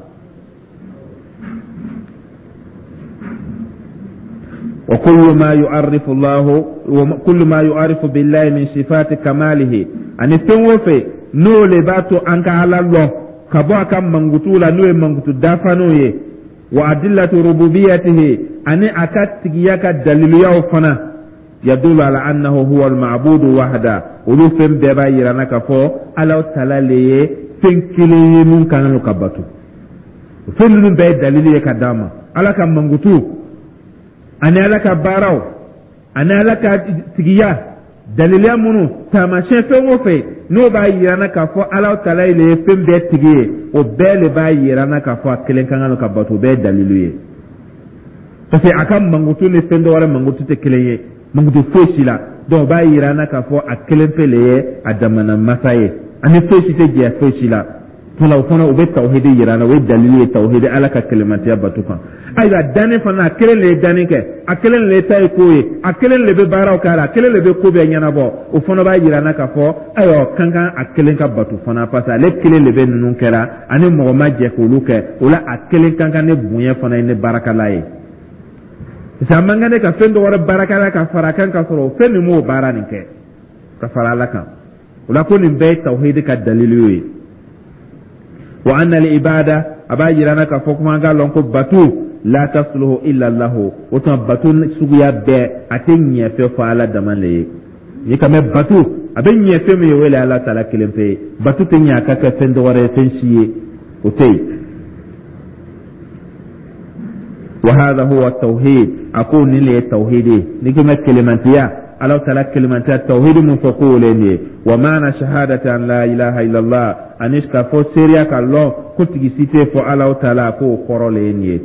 wa kullu ma yu'arrifu Allahu wa kullu ma yu'arrifu billahi min sifati kamalihi, ani fɛn o fɛn n'o le b'a to an ka Ala lɔn ka bɔ a ka mankutu la, n'o ye mankutu dafalenw ye, wa adillatu rububiyatihi, ani a ka tigiya ka daliluyaw fana, yadulu ala annahu huwa al-ma'budu wahda, olu fɛn bɛɛ b'a yira na k'a fɔ Ala taala le ye fɛn kelen ye mun ka kan ka bato. Fɛn ninnu bɛɛ ye dalili ye ka d'an ma, Ala ka mankutu ani Ala ka baaraw ani Ala ka tigiya. Daliliya minnu, taamasiyɛn fɛn o fɛn n'o b'a yira an na k'a fɔ Ala taala le ye fɛn bɛɛ tigi ye, o bɛɛ le b'a yira an na k'a fɔ a kelen ka kan ka bato. O bɛɛ ye dalilu ye, parce que a ka mankutu ni fɛn dɔ wɛrɛ mankutu tɛ kelen ye, mankutu foyi si la. Donc o b'a yira an na k'a fɔ a kelen pe le ye a damana masa ye, ani foyi si tɛ jɛ foyi si la. Tuma o fana, o bɛ tawhidi yira an na, o ye dalilu ye tawhidi, Ala ka kelenmatiya bato kan. Ayiwa, danni fana, a kelen le ye danni kɛ, a kelen le ye ta ye ko ye, a kelen le bɛ baaraw k'a la, a kelen le bɛ ko bɛɛ ɲɛnabɔ. O fana b'a yira an na k'a fɔ ayiwa, kan kan a kelen ka bato fana, parce que ale kelen le bɛ ninnu kɛra, ani mɔgɔ ma jɛ k'olu kɛ. O la, a kelen kan kan ne bonya fana ye ne baarakɛla ye, parce que a man kan ne ka fɛn dɔ wɛrɛ baarakɛla ka fara a kan, ka sɔrɔ o fɛn min m'o baara nin kɛ ka fara Ala kan. O la, ko nin bɛɛ ye tawhidi ka dalilu ye. Wa anna al ibada, a b'a yira na k'a fɔ kuma an k'a lɔn ko batu la tasluhu illa lahu. O tuma, batu suguya bɛɛ, a tɛ ɲɛ fɛ fɔ Ala dama le ye. N'i ka mɛn batu, a bɛ ɲɛ fɛn min ye, o le Ala taala kelen pe ye. Batu tɛ ɲɛ a ka kɛ fɛn dɔ wɛrɛ ye, fɛn si ye, o tɛ yen. Wa hadha huwa tawhid. A ko nin le ye tawhid ye. N'i ko mɛn kelemantiya, Ala taala kelemantiya, tawhid mun fɔ ko o le nin ye. Wa maana shahadati an la ilaha illallah, ani k'a fɔ seereya ka lɔn ko tigi si tɛ fɔ Ala taala, k'o kɔrɔ le ye nin ye.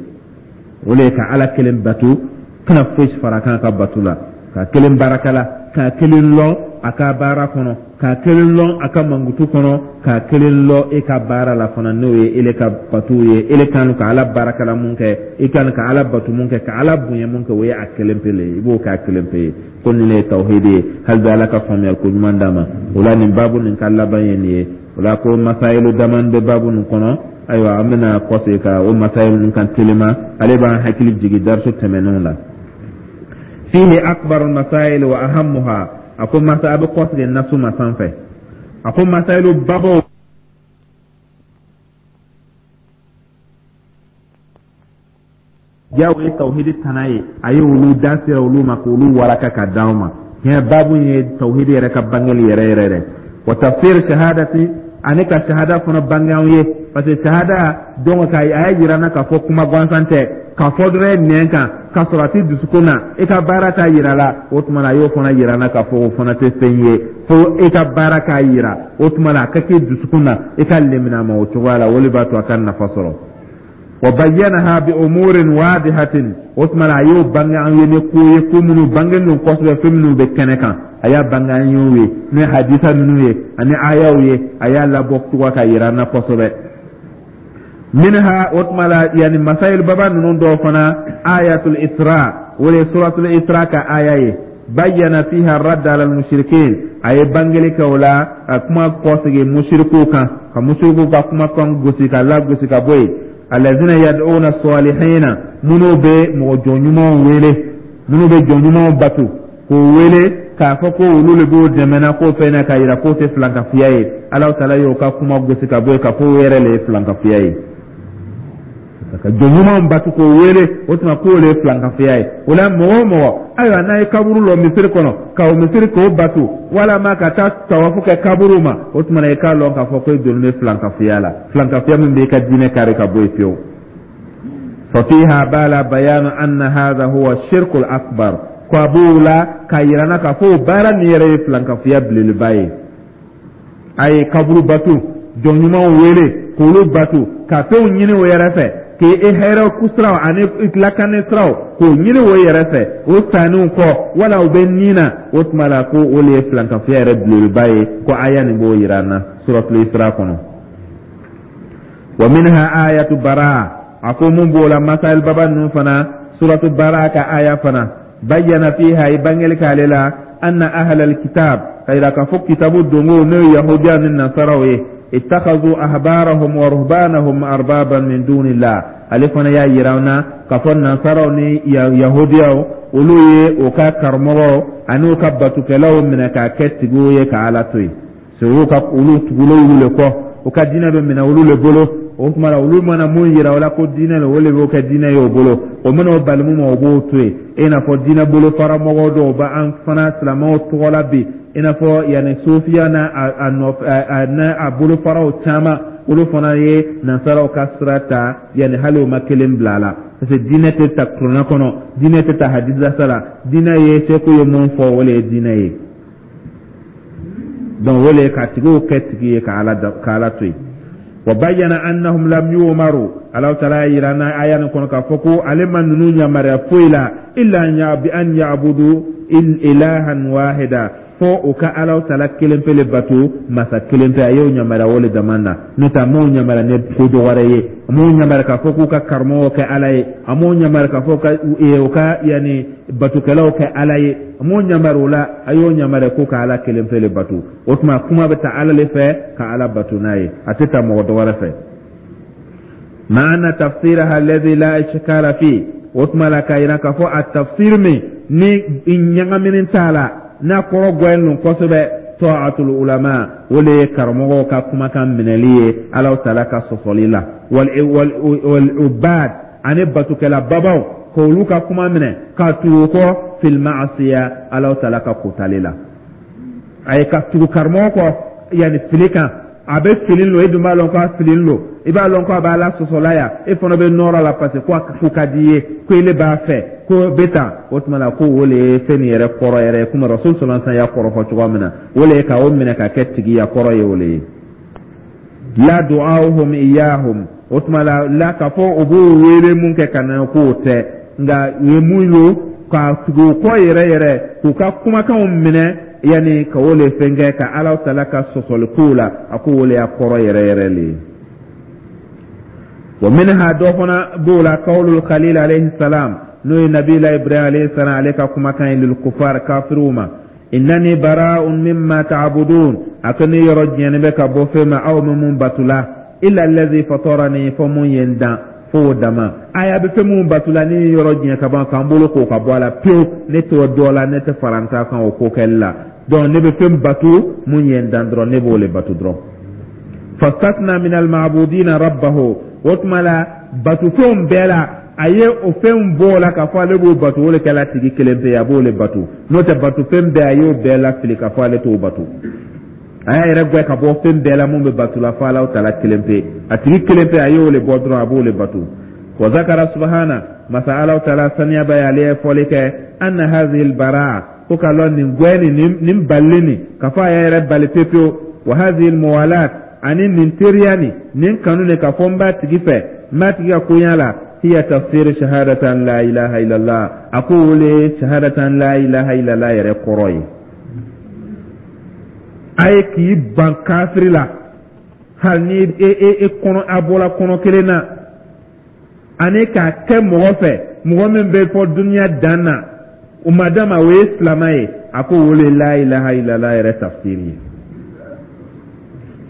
O le ye ka Ala kelen bato, kana fosi fara kan ka bato la, ka kelen baarakɛla, k'a kelen lɔn a ka baara kɔnɔ, k'a kelen lɔn a ka mankutu kɔnɔ, k'a kelen lɔn e ka baara la fana, n'o ye ele ka batu ye. Ele kan ka Ala baarakɛla mun kɛ, i kan ka Ala batu mun kɛ, ka Ala bonya mun kɛ, o ye a kelen pe le ye, i b'o kɛ a kelen pe ye. Ko nin le ye tawhidi ye. Hali bi, Ala ka faamuyali ko ɲuman d'a ma. O la, nin baabu nin ka laban ye nin ye. O la, ko masayilu daman bɛ baabu nin kɔnɔ. Ayiwa, an bɛna kɔsegin ka o masayilu nin kan telima. Ale b'an hakili jigin darisu tɛmɛnenw la. Fihi akbar masail wa ahammuha. A ko masa, a bɛ kɔsegin nasu ma sanfɛ. A ko masayilu babaw ja, o ye tawhidi tana ye. A ye olu da sera olu ma k'olu waraka ka d'anw ma. Tiɲɛ, baabu ye tawhidi yɛrɛ ka bangeli yɛrɛ yɛrɛ yɛrɛ. Wa tafsir shahadati, ani ka shahada fana bange anw ye, parce que shahada donc ka a y'a jira n na k'a fɔ kuma gansan tɛ, k'a fɔ dɔrɔn nɛn kan k'a sɔrɔ a tɛ dusukun na, i ka baara t'a yira la. O tuma na, a y'o fana jira n na k'a fɔ o fana tɛ fɛn ye fo i ka baara k'a yira. O tuma na, a ka kɛ dusukun na, i ka lemina ma o cogoya la, o de b'a to a ka nafa sɔrɔ. Wa bayyanaha bi umurin wadihatin. O tuma na, a y'o bange an ye ni ko ye, ko minnu bange don kosɛbɛ, fɛn minnu bɛ kɛnɛ kan, a y'a bange an y'o ye ni hadisa ninnu ye ani ayaw ye. A y'a labɔ cogoya ka yira an na kosɛbɛ. Minha, o tuma la, yani masayil baba ninnu dɔw fana, ayatul Isra, o de ye suratul Isra ka aya ye. Bayyana fiha radd ala al-mushrikin, a ye bangeli kɛ o la, a kuma kɔsegin musirikuw kan, ka musirikuw ka kumakan gosi ka lagosi ka bɔ yen. Alazina yad'una salihina, minnu bɛ mɔgɔ jɔn ɲumanw wele, minnu bɛ jɔn ɲumanw bato k'o wele k'a fɔ ko olu de b'o dɛmɛ na ko fɛn na, k'a yira k'o tɛ filankafiya ye. Ala taala y'o ka kuma gosi ka bɔ yen k'a fɔ o yɛrɛ le ye filankafiya ye, ka jɔn ɲumanw bato k'o wele. O tuma, k'o le ye filankafiya ye. O la, mɔgɔ o mɔgɔ, ayiwa, n'a ye kaburu lɔ misiri kɔnɔ, ka o misiri k'o bato, walama ka taa tawafu kɛ kaburu ma, o tuma na, i k'a lɔn k'a fɔ ko i donnen bɛ filankafiya la, filankafiya min b'i ka diinɛ kari ka bɔ yen fiyewu. Fafiha bala bayanu anna hadha huwa shirkul akbar. Ko a b'o la k'a yira na k'a fɔ o baara nin yɛrɛ ye filankafiya belebeleba ye. A ye kaburu bato, jɔn ɲumanw wele k'olu bato, ka fɛnw ɲini o yɛrɛ fɛ, k'e hɛrɛ ku siraw ani lakani siraw k'o ɲini o yɛrɛ fɛ, o sanniw kɔ wala o bɛ nin na. O tuma la, ko o le ye filankafiya yɛrɛ belebeleba ye. Ko aya nin b'o yira an na suratul Isra kɔnɔ. Wa minha ayatu Bara. A ko mun b'o la, masail baba ninnu fana, suratu Bara ka aya fana. Bayyana fiha, i bangeli k'ale la, anna ahlal kitab, ka yira k'a fɔ kitabu dongow, n'o ye yahudiya ni nasaraw ye, ittakhadhu ahbarahum wa ruhbanahum arbaban min dunillah. Ale fana y'a yira an na k'a fɔ nasaraw ni yahudiyaw, olu ye o ka karamɔgɔw ani u ka batukɛlaw minɛ k'a kɛ tigiw ye ka Ala to yen. Olu ka olu tugulen olu le kɔ, u ka diinɛ bɛ minɛ olu le bolo. O tuma la, olu mana mun yira o la ko diinɛ le, o le b'o kɛ diinɛ ye o bolo. O mana o bali mun ma, o b'o to yen. I n'a fɔ diinɛ bolofara mɔgɔw dɔw bɛ an fana silamɛw tɔgɔ la bi, i n'a fɔ yanni sofiya n'a a nɔfɛ a n'a a bolofaraw caman, olu fana ye nansaraw ka sira ta, yanni hali o ma kelen bila a la, parce que diinɛ tɛ ta kuranɛ kɔnɔ, diinɛ tɛ ta hadisa la. Diinɛ ye seku ye mun fɔ, o le ye diinɛ ye. Donc o le ka tigiw kɛ tigi ye ka Ala ka Ala to yen. Wa bayyana annahum lam yu'maru, Ala taala y'a yira na aya nin kɔnɔ k'a fɔ ko ale ma ninnu yamaruya foyi la illa bi an ya'budu ilahan wahida, fo u ka Ala taala kelen pe le bato, masa kelen pe. A y'o yamaruya o le dama na, n'o tɛ a m'o yamaruya ni ko dɔ wɛrɛ ye. A m'o yamaruya k'a fɔ k'u ka karamɔgɔw kɛ Ala ye, a m'o yamaruya k'a fɔ ka u ka yanni batokɛlaw kɛ Ala ye, a m'o yamaruya o la. A y'o yamaruya ko ka Ala kelen pe le bato. O tuma kuma bɛ ta Ala le fɛ ka Ala bato n'a ye, a tɛ ta mɔgɔ dɔ wɛrɛ fɛ. Maana tafsiraha alladhi la ishkala fi, o tuma la k'a yira k'a fɔ a tafsir min ni ɲagamini t'a la, n'a kɔrɔ gɛlɛn don kosɛbɛ, ta'atul ulama, o le ye karamɔgɔw ka kumakan minɛli ye Ala taala ka sɔsɔli la, wal ubad, ani batukɛla babaw, k'olu ka kuma minɛ ka tugu kɔ, fil ma'asiya, Ala taala ka kotali la. A ye ka tugu karamɔgɔ kɔ yanni fili kan, a bɛ fili lo, e dun b'a lɔn k'a fili lo, i b'a lɔn k'a b'a la sɔsɔla yan, e fana bɛ nɔrɔ la parce que ko a ko ka di i ye, ko ile b'a fɛ ko bɛ tan. O tuma la ko o le ye fɛn nin yɛrɛ kɔrɔ yɛrɛ ye, komi Rasul sallallahu alaihi wasallam y'a kɔrɔ fɔ cogoya min na, o le ye ka o minɛ ka kɛ tigiya kɔrɔ ye. O le ye la du'ahum iyahum, o tuma la k'a fɔ o b'o wele mun kɛ ka na k'o tɛ, nka u ye mun ye ka tugu u kɔ yɛrɛ yɛrɛ, k'u ka kumakanw minɛ, yanni ka o le fɛn kɛ ka Ala taala ka sɔsɔli kow la, a ko o le y'a kɔrɔ yɛrɛ yɛrɛ le ye. Wa minha, dɔ fana b'o la, qawlul khalil alayhi salam, n'o ye nabila Ibrahim alayhi salam, ale ka kumakan ye, lil kufar, kafiriw ma, innani bara'un mimma ta'budun, a ko ne yɔrɔ jɛnnen bɛ ka bɔ fɛn ma aw bɛ mun batula, illa allazi fatarani, fɔ mun ye n dan, fo o dama. Aya bɛ fɛn mun batula, ne ye yɔrɔ jɛn ka ban k'an bolo k'o ka bɔ a la pewu, ne t'o dɔ la, ne tɛ fara n ta kan o ko kɛli la. Donc ne bɛ fɛn bato mun ye n dan dɔrɔn, ne b'o le bato dɔrɔn. Fastatna min almabudina rabbahu, o tuma la batofɛnw bɛɛ la, a ye o fɛnw bɔ o la k'a fɔ ale b'o bato, o le kɛla tigi kelen pe ye, a b'o le bato. N'o tɛ batofɛn bɛɛ, a y'o bɛɛ lafili k'a fɔ ale t'o bato. A y'a yɛrɛ gɛn ka bɔ fɛn bɛɛ la mun bɛ bato la, fo Ala taala kelen pe, a tigi kelen pe, a y'o le bɔ dɔrɔn, a b'o le bato. Wa zakara subhana, masa Ala taala saniya ba ye, ale ye fɔli kɛ, anna hazihi albaraa, ko ka lɔn nin gɛn nin nin balili nin, k'a fɔ a y'a yɛrɛ bali pewu pewu, wa hazihi almuwalat, ani nin teriya nin nin kanu nin, k'a fɔ n b'a tigi fɛ, n b'a tigi ka koɲa la, hiya tafsir shahadatan la ilaha illallah, a ko o le shahadatan la ilaha illallah yɛrɛ kɔrɔ ye. A ye k'i ban kafiri la, hali ni e e e kɔnɔ a bɔra kɔnɔ kelen na, ani k'a kɛ mɔgɔ fɛ, mɔgɔ min bɛ fɔ duniya dan na, o ma dama o ye silamɛ ye, a ko o le la ilaha illallah yɛrɛ tafsiri ye.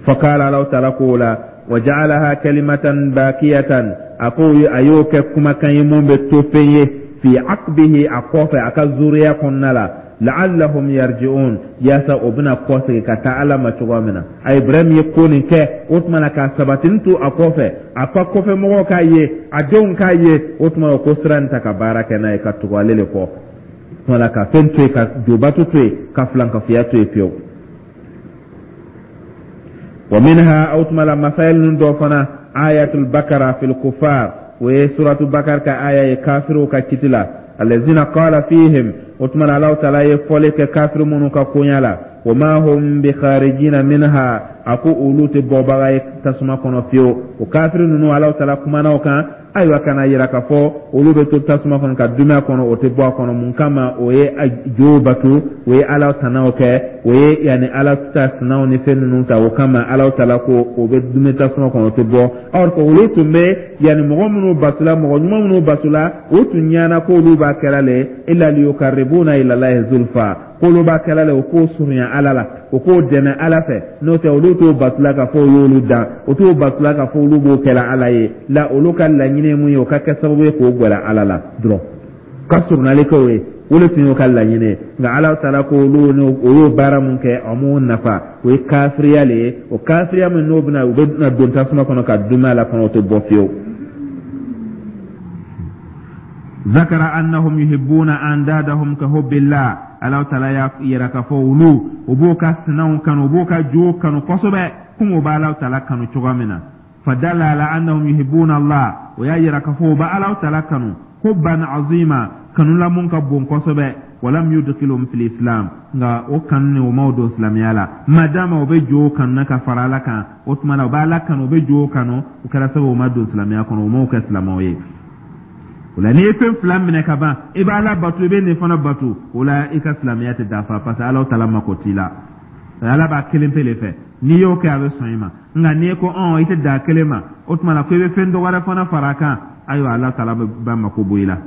Fakala, Ala taala ko o la, wa ja'alaha kalimatan bakiyatan, a ko a y'o kɛ kumakan ye mun bɛ to fɛn ye, fi aqbihi, a kɔfɛ, a ka zuriya kɔnɔna la, la'allahum yarji'un, yaasa o bɛna kɔsegin ka taa Ala ma cogoya min na. A Ibrahim ye ko nin kɛ, o tuma na k'a sabatini to a kɔfɛ, a ka kɔfɛ mɔgɔw k'a ye, a denw k'a ye, o tuma o ko sira nin ta ka baara kɛ n'a ye, ka tugu ale le kɔ. O tuma na ka fɛn to yen, ka jobato to yen, ka filankafoya to yen fiyewu. Wa minha, o tuma la masail ninnu dɔ fana, ayatul bakara fil kufar, o ye suratu Bakar ka aya ye kafiriw ka kiti la, allazina qala fihim, o tuma na Alahu taala ye fɔli kɛ kafiri minnu ka koɲa la, wa ma hum bi kharijina minha, a ko olu tɛ bɔbaga ye tasuma kɔnɔ fiyewu. O kafiri ninnu, Alahu taala kumana o kan, ayiwa, ka na yira k'a fɔ olu bɛ to tasuma kɔnɔ ka duumɛ a kɔnɔ, o tɛ bɔ a kɔnɔ. Mun kama? O ye jow bato, o ye Ala tanaw kɛ, o ye yanni Ala ta sinaw ni fɛn ninnu ta. O kama Ala taala ko o bɛ duumɛ tasuma kɔnɔ, o tɛ bɔ. Or que olu tun bɛ yanni mɔgɔ minnu batula, mɔgɔ ɲuman minnu batula, o tun ɲana k'olu b'a kɛra le illa liyukarribuna ila Allahi zulfa, k'olu b'a kɛla le o k'o surunya Ala la, o k'o dɛmɛ Ala fɛ. N'o tɛ olu t'o batula k'a fɔ o y'olu dan, o t'o batula k'a fɔ olu b'o kɛla Ala ye la. Olu ka laɲini ye mun ye? O ka kɛ sababu ye k'o gwɛrɛ Ala la dɔrɔn, ka surunyali kɛ o ye, o de tun y'o ka laɲini ye. Nka Ala taala ko olu o y'o baara mun kɛ, o m'o nafa, o ye kafiriya le ye. O kafiriya min n'o bɛna, u bɛ na don tasuma kɔnɔ ka duumɛ a la kɔnɔ, o tɛ bɔ fiyewu. Zakara annahum yuhibbuna andadahum ka hubbillah, Ala taala y'a yira k'a fɔ olu o b'o ka sinaw kanu, o b'o ka jow kanu kosɛbɛ komi o b'Ala taala kanu cogoya min na. Fadalla ala annahum yuhibbuna Allah, o y'a yira k'a fɔ o b'a Ala taala kanu hubban azima, kanu la mun ka bon kosɛbɛ. Walam yudkhilhum fil islam, nka o kanu ni o ma o don silamɛya la. Madama o bɛ jo kanu na ka fara Ala kan, o tuma na o bɛ Ala kanu, o bɛ jo kanu, o kɛra sababu o ma don silamɛya kɔnɔ, o m'o kɛ silamɛw ye. O la, n'i ye fɛn fila minɛ ka ban, i bɛ Ala bato, i bɛ nin fana bato, o la i ka silamɛya tɛ dafa, parce que Ala taala mako t'i la. Ala b'a kelen pe de fɛ. N'i y'o kɛ, a bɛ sɔn i ma. Nka n'i ko ɔn i tɛ dan kelen ma, o tuma na ko i bɛ fɛn dɔ wɛrɛ fana fara a kan, ayiwa, Ala taala b'a mako bɔ i la.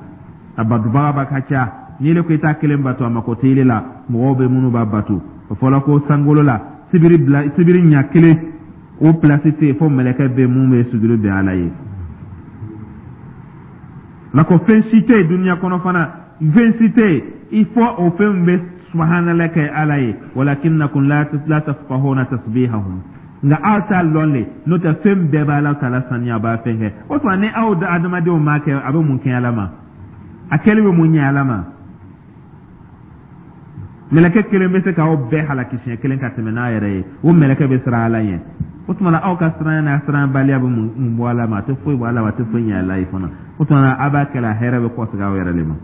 A batobaga ba ka ca. N'i le ko i t'a kelen bato, a mako tɛ i la. Mɔgɔw bɛ minnu b'a bato, o fɔla ko sankolo la, sibiri bila sibiri ɲa kelen, o pilasi tɛ yen fo mɛlɛkɛ bɛ mun bɛ sujuru bɛn Ala ye. Nka ko fɛn si tɛ yen duniya kɔnɔ fana, fɛn si tɛ yen i fɔ o fɛn bɛ subhanallah kɛ Ala ye. Walakinnakum la tafqahuna tasbihahum, nka aw t'a lɔn le, n'o tɛ fɛn bɛɛ b'Ala taala saniya, b'a fɛn kɛ. O tuma, ni aw adamadenw m'a kɛ, a bɛ mun kɛ Ala ma? A kɛli bɛ mun ɲɛ Ala ma? Mɛlɛkɛ kelen bɛ se k'aw bɛɛ halaki siɲɛ kelen ka tɛmɛ n'a yɛrɛ ye. O mɛlɛkɛ bɛ siran Ala ɲɛ. O tuma na, aw ka siranya n'a siranbaliya bɛ mun bɔ Ala ma? A tɛ foyi bɔ Ala ma, a tɛ foyi ɲɛ Ala ye fana. O tuma na, a b'a kɛla hɛrɛ bɛ kɔsegin aw yɛrɛ de ma.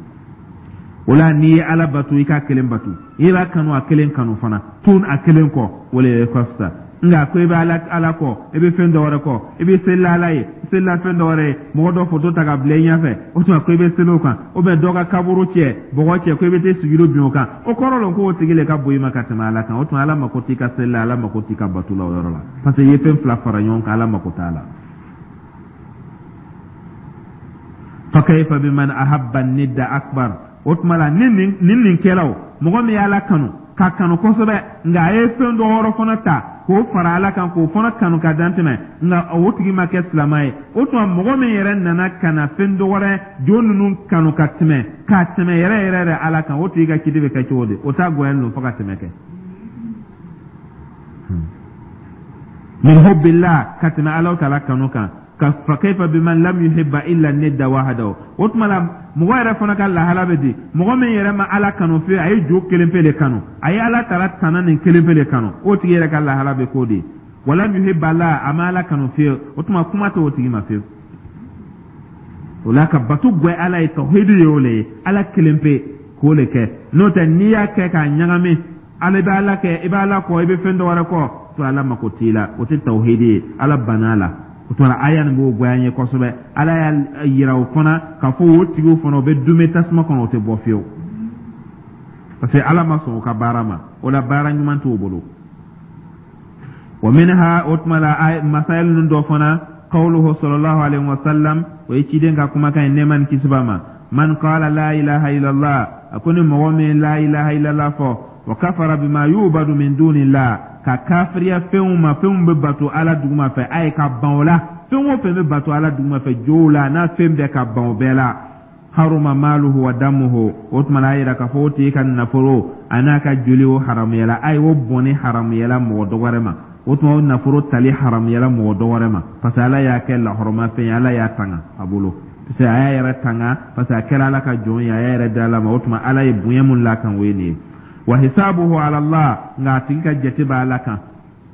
O la, n'i ye Ala bato, i k'a kelen bato, i b'a kanu, a kelen kanu fana, tun a kelen kɔ, o de ka fisa. Nka ko i bɛ Ala kɔ, i bɛ fɛn dɔ wɛrɛ kɔ, i bɛ selila Ala ye, selila fɛn dɔ wɛrɛ ye, mɔgɔ dɔ foto ta ka bila i ɲɛfɛ, o tuma ko i bɛ seli o kan, ou bien dɔ ka kaburu cɛ bɔgɔ cɛ, ko i bɛ taa sujudu bin o kan, o kɔrɔ lɔn ko o tigi le ka bon i ma ka tɛmɛ Ala kan. O tuma, Ala mako t'i ka seli la, Ala mako t'i ka bato la o yɔrɔ la, parce que i ye fɛn fila fara ɲɔgɔn kan, Ala mako t'a la. Fa kayfa biman ahabba nidda akbar? O tuma la, ni nin kɛla, o mɔgɔ min ye Ala kanu k'a kanu kosɛbɛ, nka a ye fɛn dɔ wɛrɛ fana ta k'o fara Ala kan, k'o fana kanu ka dan tɛmɛ, nka o tigi ma kɛ silamɛ ye, o tuma mɔgɔ min yɛrɛ nana ka na fɛn dɔ wɛrɛ jo ninnu kanu ka tɛmɛ, k'a tɛmɛ yɛrɛ yɛrɛ yɛrɛ Ala kan, o tigi ka kiti bɛ kɛ cogo di? O t'a goyalen don fo ka tɛmɛ kɛ min hubbillah, ka tɛmɛ Ala taala kanu kan. Ka fa kayfa biman lam yuhibba illa nidda wahdahu? O tuma la, mɔgɔ yɛrɛ fana ka lahala bɛ di? Mɔgɔ min yɛrɛ ma Ala kanu fiyewu, a ye jo kelen pe de kanu, a ye Ala taala tana nin kelen pe de kanu, o tigi yɛrɛ ka lahala bɛ k'o de. Walam yuhibba la, a ma Ala kanu fiyewu, o tuma kuma tɛ o tigi ma fiyewu. O la, ka bato gwɛ Ala ye, tawhidi ye o le ye, Ala kelen pe k'o le kɛ. N'o tɛ, n'i y'a kɛ k'a ɲagami, ala i bɛ Ala kɛ, i bɛ Ala kɔ, i bɛ fɛn dɔ wɛrɛ kɔ, to Ala mako t'i la, o tɛ tawhidi ye, Ala banna a la. O tuma, aya nin b'o goya an ye kosɛbɛ. Ala y'a yira o fana k'a fɔ o tigiw fana, o bɛ dume tasuma kɔnɔ, o tɛ bɔ fiyewu, parce que Ala ma sɔn o ka baara ma. O la, baara ɲuman t'o bolo. Wa minha, o tuma la, masail ninnu dɔ fana, qawluhu sallallahu alaihi wa sallam, o ye ciden ka kumakan ye, nɛɛma ni kisi b'a ma, man qala la ilaha illallah, a ko ni mɔgɔ min la ilaha illallah fɔ, wa kafara bima yubadu min dunillah, ka kafiriya fɛnw ma, fɛnw bɛ bato Ala duguma fɛ, a ye ka ban o la, fɛn o fɛn bɛ bato Ala duguma fɛ, jow la n'a fɛn bɛɛ, ka ban o bɛɛ la, haruma maluhu wa damuhu. O tuma na, a yira k'a fɔ o tigi ka nafolo a n'a ka joli, o haramuyala a ye, o bɔnni haramuyala mɔgɔ dɔ wɛrɛ ma. O tuma, o nafolo tali haramuyala mɔgɔ dɔ wɛrɛ ma, parce que Ala y'a kɛ lahɔrɔmafɛn ye, Ala y'a tanga a bolo, parce que a y'a yɛrɛ tanga, parce que a kɛra Ala ka jɔn ye, a y'a yɛrɛ di Ala ma. O tuma, Ala ye bonya mun la kan, o ye nin ye. Wa hisabuhu ala Allah, nka a tigi ka jate bɛ Ala kan.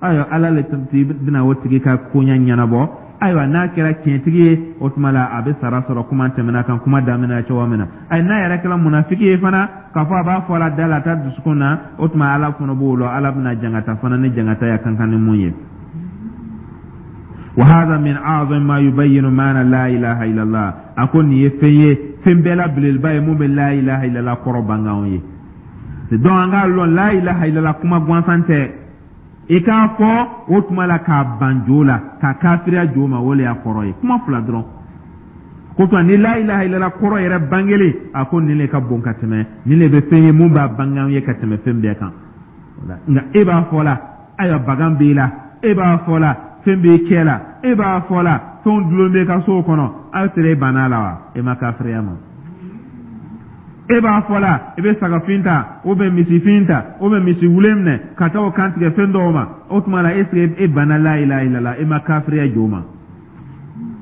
Ayiwa, Ala le bɛna o tigi ka koɲɛ ɲɛnabɔ. Ayiwa, n'a kɛra tiɲɛtigi ye, o tuma la a bɛ sara sɔrɔ, kuma tɛmɛna kan kuma daminɛ cogo min na. Ayi, n'a yɛrɛ kɛra munafiki ye fana, k'a fɔ a b'a fɔ la da la, a ta dusukun na, o tuma Ala fana b'o lɔ, Ala bɛna jangata fana ni jangata ya kan kan ni mun ye. Wa hadha min a'zam ma yubayyinu maana la ilaha illallah, a ko nin ye fɛn ye, fɛn bɛɛ la belebeleba ye mun bɛ la ilaha illallah kɔrɔ bange anw ye. Donc an k'a lɔn, la ilaha illallah kuma gansan tɛ. I k'a fɔ, o tuma la k'a ban jo la, ka kafiriya jo ma, o le y'a kɔrɔ ye, kuma fila dɔrɔn ko tuma ni la ilaha illallah kɔrɔ yɛrɛ bangelen, a ko nin le ka bon ka tɛmɛ, nin le bɛ fɛn ye mun b'a bange an ye ka tɛmɛ fɛn bɛɛ kan. Nka e b'a fɔ la, ayiwa, bagan b'i la, e b'a fɔ la, fɛn b'i kɛ la, e b'a fɔ la, fɛnw dulon b'i ka so kɔnɔ, aw sera e banna la wa? E ma kafiriya ma. E b'a fɔ la, i bɛ sagafin ta ou bien misifin ta ou bien misi wulen minɛ ka taa o kantigɛ fɛn dɔw ma, o tuma la est ce que e banna la ilaha illallah? E ma kafiriya jo ma,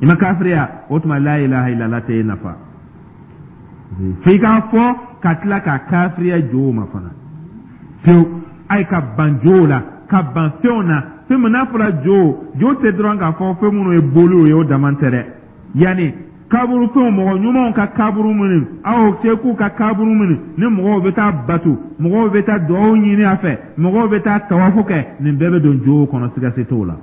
i ma kafiriya. O tuma, la ilaha illallah tɛ e nafa, f'i k'a fɔ ka tila ka kafiriya jo ma fana pewu. A ye ka ban jow la, ka ban fɛnw na. Fɛn min n'a fɔra jo, jo tɛ dɔrɔn k'a fɔ fɛn minnu ye boliw ye, o dama tɛ dɛ, yanni Kaburu fɛnw, mɔgɔ ɲumanw ka kaburu minnu, aw sekuw ka kaburu minnu ni mɔgɔw bɛ taa bato, mɔgɔw bɛ taa dugawu ɲini a fɛ, mɔgɔw bɛ taa tawafu kɛ, nin bɛɛ bɛ don jow kɔnɔ, siga si t'o la.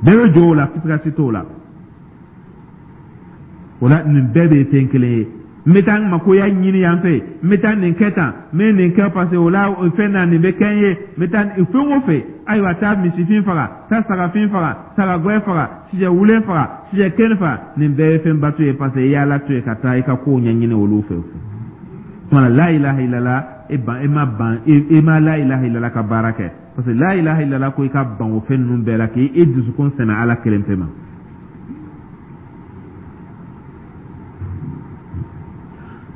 Bɛɛ bɛ jow la, siga si t'o la. O la, nin bɛɛ de ye fɛn kelen ye. N bɛ taa n makoya ɲini yan fɛ, n bɛ taa nin kɛ tan, n bɛ nin kɛ parce que o la fɛn na nin bɛ kɛ n ye, n bɛ taa fɛn o fɛn. Ayiwa, taa misifin faga, taa sagafin faga, sagagɛn faga, sisɛ wulen faga, sisɛ kɛnɛ faga, nin bɛɛ ye fɛn bato ye, parce que i y'Ala to yen ka taa i ka kow ɲɛɲini olu fɛ. Tuma la ilaha illallah, e ban, e ma ban, e ma la ilaha illallah ka baara kɛ, parce que la ilaha illallah ko i ka ban o fɛn ninnu bɛɛ la k'i dusukun sɛmɛ Ala kelen pe ma.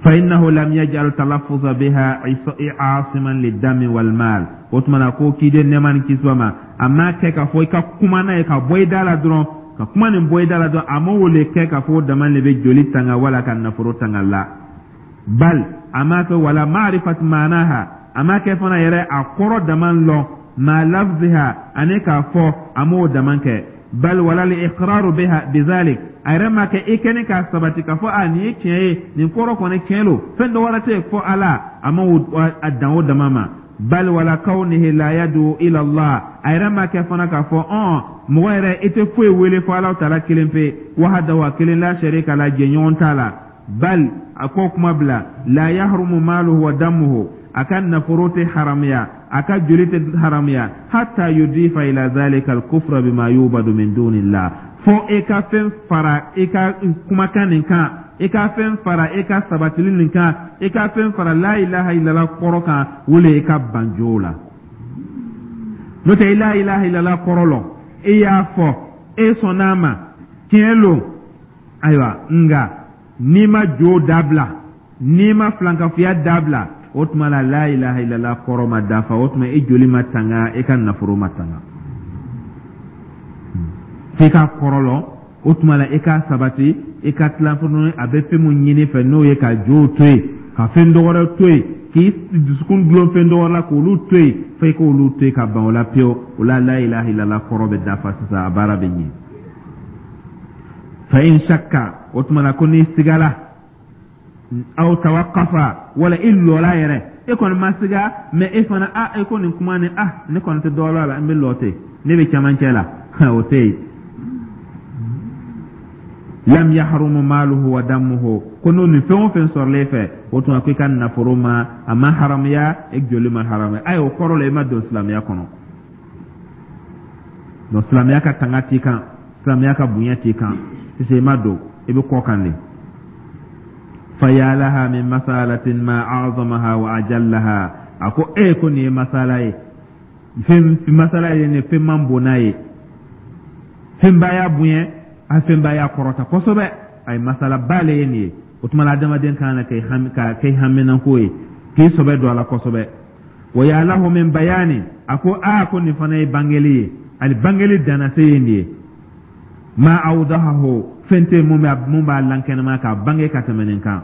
Fa innahu lam yaj'al talaffuza biha asiman lidami wal mal. O tuma na ko kiden, nɛɛma ni kisi b'a ma, a m'a kɛ k'a fɔ i ka kuma n'a ye ka bɔ i da la dɔrɔn, ka kuma nin bɔ i da la dɔrɔn, a m'o le kɛ k'a fɔ o dama de bɛ joli tanga wala ka nafolo tanga la. Bal a m'a kɛ wala ma'rifat ma'naha, a m'a kɛ fana yɛrɛ a kɔrɔ dama lɔn, ma lafziha, ani k'a fɔ, a m'o dama kɛ. Bal wala al iqraru biha bizalik, a yɛrɛ ma kɛ i kɛni k'a sabati k'a fɔ a nin ye tiɲɛ ye, nin kɔrɔ kɔni tiɲɛ lo, fɛn dɔ wɛrɛ tɛ yen fɔ Ala, a ma a dan o dama ma. Bal wala kawnihi la yadu ila Allah, a yɛrɛ ma kɛ fana k'a fɔ ɔn mɔgɔ yɛrɛ i tɛ foyi wele fɔ Ala taala kelen pe, wahdahu, a kelen, la sharika la, jɛɲɔgɔn t'a la. Bal a ko kuma bila la yahrumu maluhu wa damuhu, a ka nafolo tɛ haramuya, a ka joli tɛ haramuya, hatta yudifa ila zalika al-kufra bima yubadu min dunillah, fo e ka fɛn fara i ka kumakan nin kan, i ka fɛn fara i ka sabatili nin kan, i ka fɛn fara la ilaha illallah kɔrɔ kan, wole i ka ban jow la. N'o tɛ, i la ilaha illallah kɔrɔ lɔn, e y'a fɔ, e sɔnn'a ma, tiɲɛ lo. Ayiwa, nka n'i ma jo dabila, n'i ma filankafoya dabila, o tuma la la ilaha illallah kɔrɔ ma dafa. O tuma i joli ma tanga, i ka nafolo ma tanga. F'i ka kɔrɔ lɔn, o tuma la i ka sabati, i ka tila fana a bɛ fɛn mun ɲini fɛ, n'o ye ka jow to yen, ka fɛn dɔ wɛrɛ to yen, k'i dusukun dulon fɛn dɔ wɛrɛ la, k'olu to yen, fo i k'olu to yen ka ban o la pewu. O la la ilaha illallah kɔrɔ bɛ dafa sisan, a baara bɛ ɲɛ. Fa in shakka, o tuma la ko n'i sigala, aw tawaqqafa, wala i lɔla yɛrɛ, e kɔni ma siga, mais e fana a e ko nin kuma nin, ah, ne kɔni tɛ dɔ la, n bɛ lɔ ten, ne bɛ cɛmancɛ la, o tɛ yen. Lam yahrumu maluhu wa damuhu, ko n'o nin fɛn o fɛn sɔrɔlen fɛ, o tuma ko i ka nafolo ma, a ma haramuya, e joli ma haramuya. Ayi, o kɔrɔ la i ma don silamɛya kɔnɔ. Donc silamɛya ka tanga t'i kan, silamɛya ka bonya t'i kan sisan, i ma don, i bɛ kɔ kan de. Fa ya laha min masalatin ma a'zamaha wa ajallaha. A ko e ko nin ye masala ye, fɛn masala ye nin, fɛn man bon n'a ye, fɛnba y'a bonya, a fɛnba y'a kɔrɔta kosɛbɛ. A ye masalaba le ye nin ye. O tuma la adamaden kan ka kɛ hami, ka kɛ haminanko ye, k'i sɔbɛ don a la kosɛbɛ. Wa ya lahu min bayani, a ko aa ko nin fana ye bangeli ye, ani bangeli dannase ye nin ye. Ma awdahahu, fɛn tɛ mun b'a lankɛnɛma k'a bange ka tɛmɛ nin kan.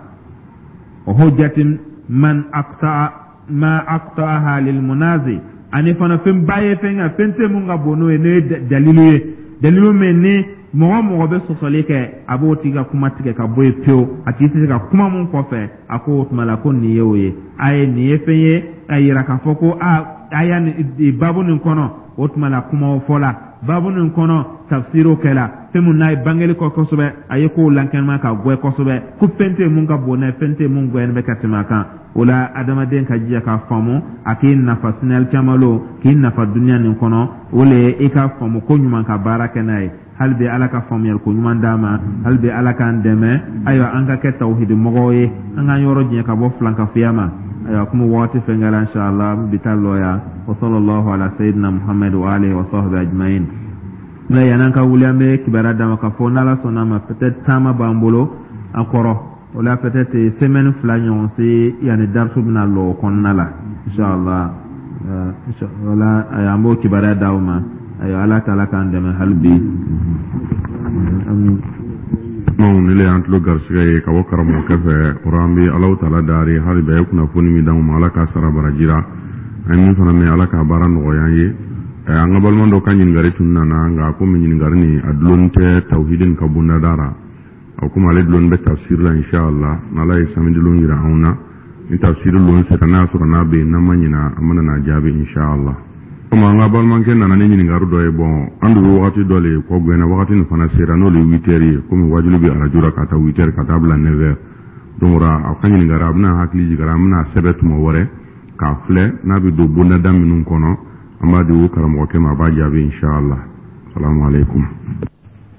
Wa hujjatin man aqta'a ma aqta'aha lil munazi, ani fana fɛn ba ye, fɛn kan fɛn tɛ mun ka bon n'o ye, n'o ye dalilu ye, dalilu min ni mɔgɔ mɔgɔ bɛ sɔsɔli kɛ, a b'o tigi ka kuma tigɛ ka bɔ yen pewu, a tigi tɛ se ka kuma mun kɔfɛ. A ko o tuma la ko nin ye o ye, a ye nin ye fɛn ye a yira k'a fɔ ko a a y'a nin baabu nin kɔnɔ. O tuma la kumaw fɔla baabu nin kɔnɔ, tafsiriw kɛla, fɛn mun n'a ye bangeli kɔ kosɛbɛ, a ye kow lankɛnɛma ka gwɛ kosɛbɛ, ko fɛn tɛ mun ka bon n'a ye, fɛn tɛ mun gwɛni bɛ ka tɛmɛ a kan. O la adamaden ka jija k'a faamu, a k'i nafa sinali caman lo, k'i nafa duniya nin kɔnɔ. O le ye i ka faamu ko ɲuman ka baara kɛ n'a ye. Hali bi Ala ka faamuyali ko ɲuman d'an ma, hali bi Ala k'an dɛmɛ. Ayiwa, an ka kɛ tawhidi mɔgɔw ye, an k'an yɔrɔ janya ka bɔ filankafoya ma. Ayiwa, komi wagati fɛn kɛra, inshallah bi taa lɔ yan. Wa sallallahu ala sayyidina Muhammad wa alihi wa sahbihi ajma'in. Nka yan'an ka wuli, an bɛ kibaruya d'a ma k'a fɔ n'Ala sɔnna ma, peut-être taama b'an bolo an kɔrɔ. O la peut-être semaine 2 ɲɔgɔn se yanni darisu bɛna lɔ o kɔnɔna la, inshallah. Wala an b'o kibaruya d'aw ma. Ayiwa, Ala taala k'an dɛmɛ hali bi. Amin. Kumaw ni le y'an tulo garisɛgɛ ye ka bɔ karamɔgɔkɛ fɛ o rɔ, an bɛ Alahu taala dari hali bi a ye kunnafoni min d'anw ma, Ala k'a sara baraji ra. An ye min fana mɛn, Ala k'a baara nɔgɔya an ye. An ka balima dɔ ka ɲininkali tun nana, nka komi ɲininkali nin a dulonni tɛ tawhidi nin ka bondada ra, a komi ale dulonni bɛ tafsir la, inshallah n'Ala ye samedi lon yira anw na, ni tafsir lon sera, n'a y'a sɔrɔ n'a bɛ yen, n'an ma ɲina, an bɛna n'a jaabi inshallah. Komi an ka balimakɛ nana ni ɲininkali dɔ ye, bon, an dun bɛ wagati dɔ le kɔ gɛnna, wagati nin fana sera, n'o le ye 8 heures ye. Komi wajulu bɛ arajo la ka taa 8 heures ka taa bila 9 heures, donc a ka ɲininkali a bɛna hakili jigin, an bɛna sɛbɛn tuma wɛrɛ k'a filɛ n'a bɛ don bondada minnu kɔnɔ, an b'a di o karamɔgɔkɛ ma, a b'a jaabi inshallah. Salamu aleykum.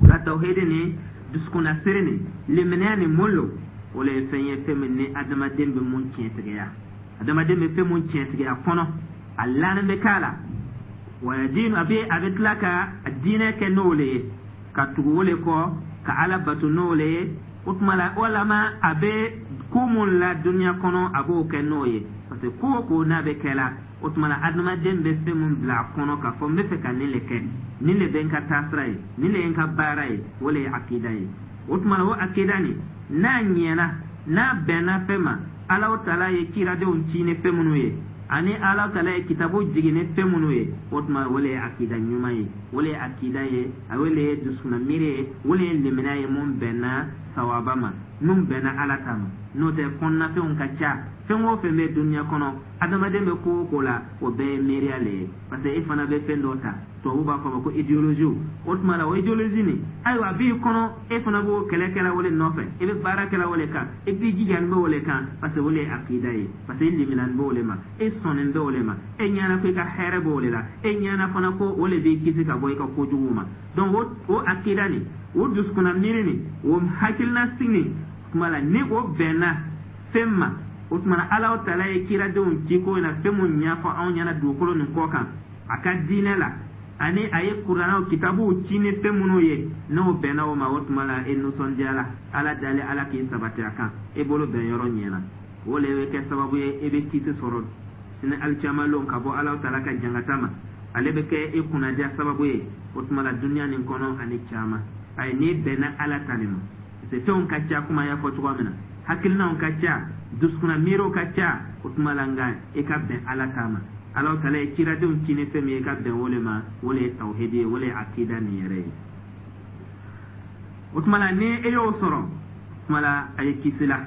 La tawhidi ni dusukunnasiri ni limaniya ni mun lo? O le ye fɛn ye, fɛn min ni adamaden bɛ mun tiɲɛtigiya, adamaden bɛ fɛn mun tiɲɛtigiya kɔnɔ, a lanin bɛ k'a la wa diinu, a bɛ tila ka diinɛ kɛ n'o le ye, ka tugu o le kɔ, ka Ala bato n'o le ye. O tuma la, walama a bɛ ko mun la duniya kɔnɔ, a b'o kɛ n'o ye, parce que ko o ko n'a bɛ kɛ la, o tuma la adamaden bɛ fɛn mun bila a kɔnɔ k'a fɔ n bɛ fɛ ka nin le kɛ, nin le bɛ n ka taasira ye, nin le ye n ka baara ye, o le ye akida ye. O tuma la, o akida nin, n'a ɲɛna, n'a bɛnna fɛn ma, Alahu Taala ye kiradenw ci ni fɛn minnu ye, ani Alahu Taala ye kitabu jigin ni fɛn minnu ye, o tuma o le ye akida ɲuman ye, o le ye akida ye, o le ye dusukunna miiri ye, o le ye limaniya ye mun bɛnna sawaba ma, mun bɛnna Ala ta ma. N'o tɛ, kɔnɔnafɛnw ka ca. Fɛn o fɛn bɛ duniya kɔnɔ, adamaden bɛ ko o ko la, o bɛɛ ye miiriya le ye, parce que e fana bɛ fɛn dɔ ta, tubabu b'a fɔ a ma ko idéologie. O tuma la, o idéologie nin, ayiwa, a b'i kɔnɔ, e fana b'o kɛlɛ kɛla o le nɔfɛ, i bɛ baara kɛla o le kan, i b'i jija bɛ o le kan, parce que o le ye akida ye, parce que i liminani b'o le ma, e sɔnnen bɛ o le ma, e ɲɛna ko i ka hɛrɛ b'o le la, e ɲɛna fana ko o le b'i kisi ka bɔ i ka kojuguw ma. Donc o akida nin, o dusukunna miiri nin, o hakilina sigi nin tuma la, ni o bɛnna fɛn ma, o tuma na Alahu Taala ye kiradenw ci ko in na, fɛn mun ɲɛfɔ anw ɲɛna dugukolo nin kɔ kan a ka diinɛ la, ani a ye Kuranaw kitabuw ci ni fɛn minnu ye, n'o bɛnna o ma, o tuma la e nisɔndiyala, Ala dali, Ala k'i sabati a kan, e bolo bɛn yɔrɔ ɲɛna, o le bɛ kɛ sababu ye e bɛ kisi sɔrɔ sini alikiyama lon ka bɔ Alahu Taala ka jangata ma. Ale bɛ kɛ e kunnadiya sababu ye o tuma la duniya nin kɔnɔ ani caman. Ayi, n'i bɛnna Ala ta nin ma, parce que fɛnw ka ca, komi an y'a fɔ cogoya min na, hakilinaw ka ca, dusukunna miiriw ka ca, o tuma la nka i ka bɛn Ala ta ma. Alahu Taala ye kiradenw ci ni fɛn min ye, i ka bɛn o le ma, o le ye tawhidi ye, o le ye akida nin yɛrɛ ye. O tuma la, ni e y'o sɔrɔ, o tuma la a ye kisi la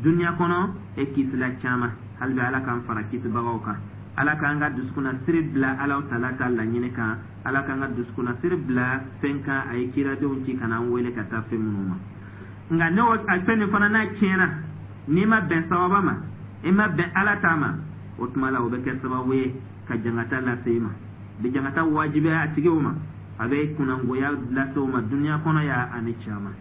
duniya kɔnɔ, e kisila caman. Hali bi Ala k'an fara kisibagaw kan, Ala k'an ka dusukunna siri bila Alahu Taala ka laɲini kan, Ala k'an ka dusukunna siri bila fɛn kan a ye kiradenw ci ka n'an wele ka taa fɛn minnu ma. Nka ne o a fɛn nin fana n'a tiɲɛna, n'i ma bɛn sababa ma, i ma bɛn Ala ta ma, o tuma la o bɛ kɛ sababu ye ka jangata lase i ma, bɛ jangata wajibiya a tigiw ma, a bɛ kunnangoya lase o ma duniya kɔnɔ ya ani caman.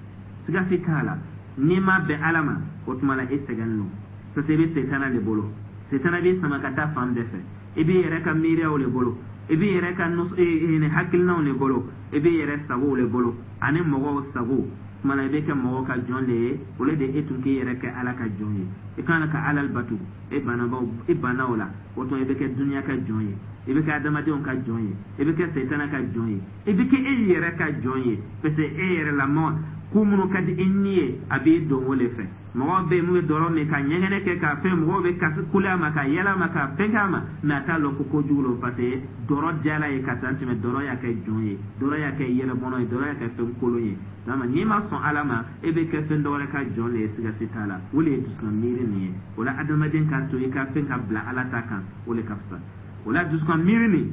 Siga si t'a la, n'i ma bɛn Ala ma, o tuma la e sɛgɛn don, parce que i bɛ setana de bolo. Setana b'i sama ka taa fan bɛɛ fɛ. I b'i yɛrɛ ka miiriyaw de bolo, i b'i yɛrɛ ka hakilinaw de bolo, i b'i yɛrɛ sagow de bolo ani mɔgɔw sago. Tuma la i bɛ kɛ mɔgɔw ka jɔn de ye, o le de e tun k'i yɛrɛ kɛ Ala ka jɔn ye, i kan ka Ala bato, e bannabaw, i banna o la, o tuma i bɛ kɛ duniya ka jɔn ye, i bɛ kɛ adamadenw ka jɔn ye, i bɛ kɛ setana ka jɔn ye, i bɛ kɛ e yɛrɛ ka jɔn ye, parce que e yɛrɛ la mɔgɔ ko minnu ka di i ni ye, a b'i don o le fɛ. Mɔgɔw bɛ yen mun bɛ dɔrɔ min ka ɲɛgɛnɛ kɛ ka fɛn, mɔgɔw bɛ kasi kule a ma, ka yɛlɛ a ma, ka fɛn k'a ma, mais a t'a lɔn ko kojugu lo, parce que dɔrɔ diyara ye ka taa tɛmɛ. Dɔrɔ y'a kɛ jɔn ye, dɔrɔ y'a kɛ yɛlɛbɔnɔ ye, dɔrɔ y'a kɛ fɛn kolon ye. Dama n'i ma sɔn Ala ma, e bɛ kɛ fɛn dɔ wɛrɛ ka jɔn de ye, siga si t'a la. O de ye dusukun miiri nin ye. O la, adamaden k'a to i ka fɛn ka bila Ala ta kan, o de ka fisa. O la, dusukun miiri nin,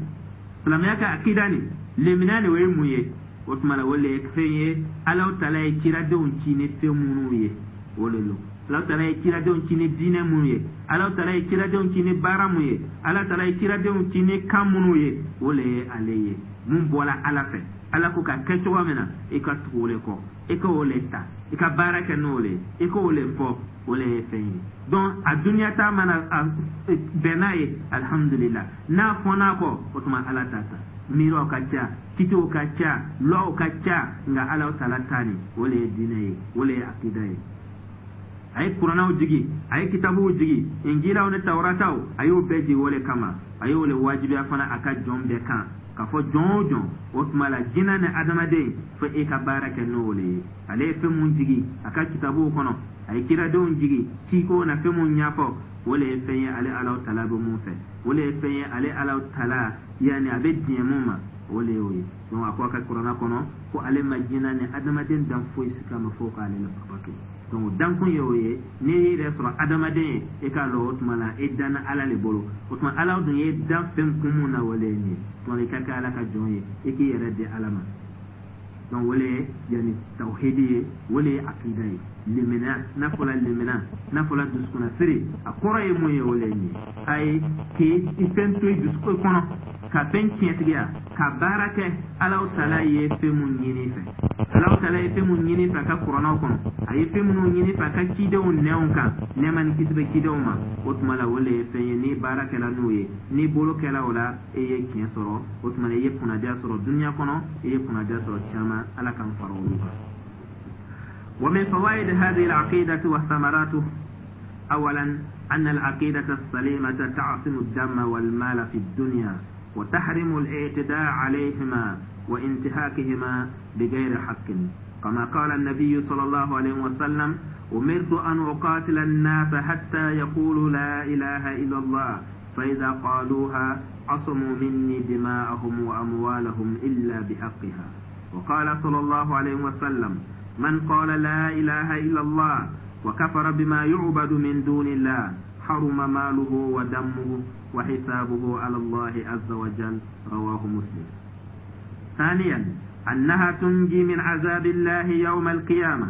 silamɛya ka akida nin, lemina nin, o ye mun ye? O tuma la, o le ye fɛn ye Alahu Taala ye kiradenw ci ni fɛn minnu ye, o de don. Alahu Taala ye kiradenw ci ni diinɛ minnu ye, Alahu Taala ye kiradenw ci ni baara mun ye, Ala Taala ye kiradenw ci ni kan minnu ye, o le ye ale ye mun bɔra Ala fɛ. Ala ko ka kɛ cogo min na, i ka tugu o le kɔ, i ka o le ta, i ka baara kɛ n'o le ye, i ka o le fɔ, o le ye fɛn ye. Donc a duniya ta mana a bɛn n'a ye, alhamdulillah. N'a fɔn'a kɔ, o tuma Ala ta ta. Miiriw ka ca, kitiw ka ca, lɔw ka ca, nka Ala Taala ta nin, o le ye diinɛ ye, o le ye akida ye. A ye Kuranaw jigi, a ye kitabuw jigi, Injilaw ni Tawurataw, a y'o bɛɛ jigi o le kama. A y'o le wajibiya fana a ka jɔn bɛɛ kan, k'a fɔ jɔn o jɔn, o tuma la jinɛ ni adamaden, fo e ka baara kɛ n'o le ye. Ale ye fɛn mun jigi a ka kitabuw kɔnɔ, a ye kiradenw jigi ciko na fɛn mun ɲɛfɔ. O le ye fɛn ye ale Alahu Taala bɛ mun fɛ, o le ye fɛn ye ale Alahu Taala, yanni a bɛ diɲɛ mun ma, o le y'o ye. Donc a ko a ka kuranna kɔnɔ ko ale ma jinɛ ni adamaden dan foyi si kama fo k'ale la bato. Donc dankun ye o ye. N'i y'i yɛrɛ sɔrɔ adamaden ye, e k'a lɔn o tuma la e danna Ala le bolo. O tuma Ala dun ye dan fɛn kun mun na, o le ye nin ye. Tuma i ka kɛ Ala ka jɔn ye, i k'i yɛrɛ di Ala ma. Donc o le ye yanni tawhidi ye, o le ye akida ye. Limina n'a fɔla, limina n'a fɔla dusukunnasiri, a kɔrɔ ye mun ye? O le ye nin ye. Ayi, k'i fɛn to i dusukun kɔnɔ ka fɛn tiɲɛtigiya ka baara kɛ Alahu Taala ye fɛn mun ɲini fɛ, Alahu Taala ye fɛn mun ɲini fɛ a ka kuranɛw kɔnɔ, a ye fɛn minnu ɲini fɛ a ka cidenw nɛnw kan, nɛɛma ni kisi bɛ cidenw ma. O tuma la, o le ye fɛn ye ni baara kɛla n'o ye, ni bolo kɛla o la, e ye tiɲɛ sɔrɔ. O tuma la, i ye kunnadiya sɔrɔ duniya kɔnɔ, i ye kunnadiya sɔrɔ caman. Ala k'an fara olu kan. ومن فوائد هذه العقيدة وثمراته: أولا، أن العقيدة السليمة تعصم الدم والمال في الدنيا وتحرم الاعتداء عليهما وانتهاكهما بغير حق، كما قال النبي صلى الله عليه وسلم: أمرت أن أقاتل الناس حتى يقولوا لا إله إلا الله، فإذا قالوها عصموا مني دماءهم وأموالهم إلا بحقها. وقال صلى الله عليه وسلم: من قال لا إله إلا الله وكفر بما يعبد من دون الله حرم ماله ودمه وحسابه على الله عز وجل. رواه مسلم. ثانيا، أنها تنجي من عذاب الله يوم القيامة،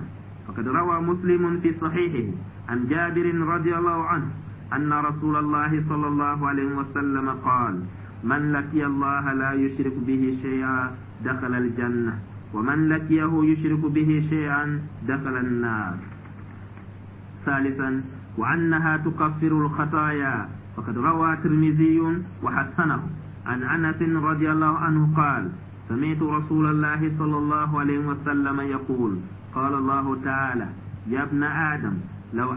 فقد روى مسلم في صحيحه عن جابر رضي الله عنه أن رسول الله صلى الله عليه وسلم قال: من لقي الله لا يشرك به شيئا دخل الجنة، ومن لقيه يشرك به شيئا دخل النار. ثالثا، وأنها تكفر الخطايا، فقد روى الترمذي وحسنه عن أنس رضي الله عنه قال: سمعت رسول الله صلى الله عليه وسلم يقول: قال الله تعالى: يا ابن آدم، لو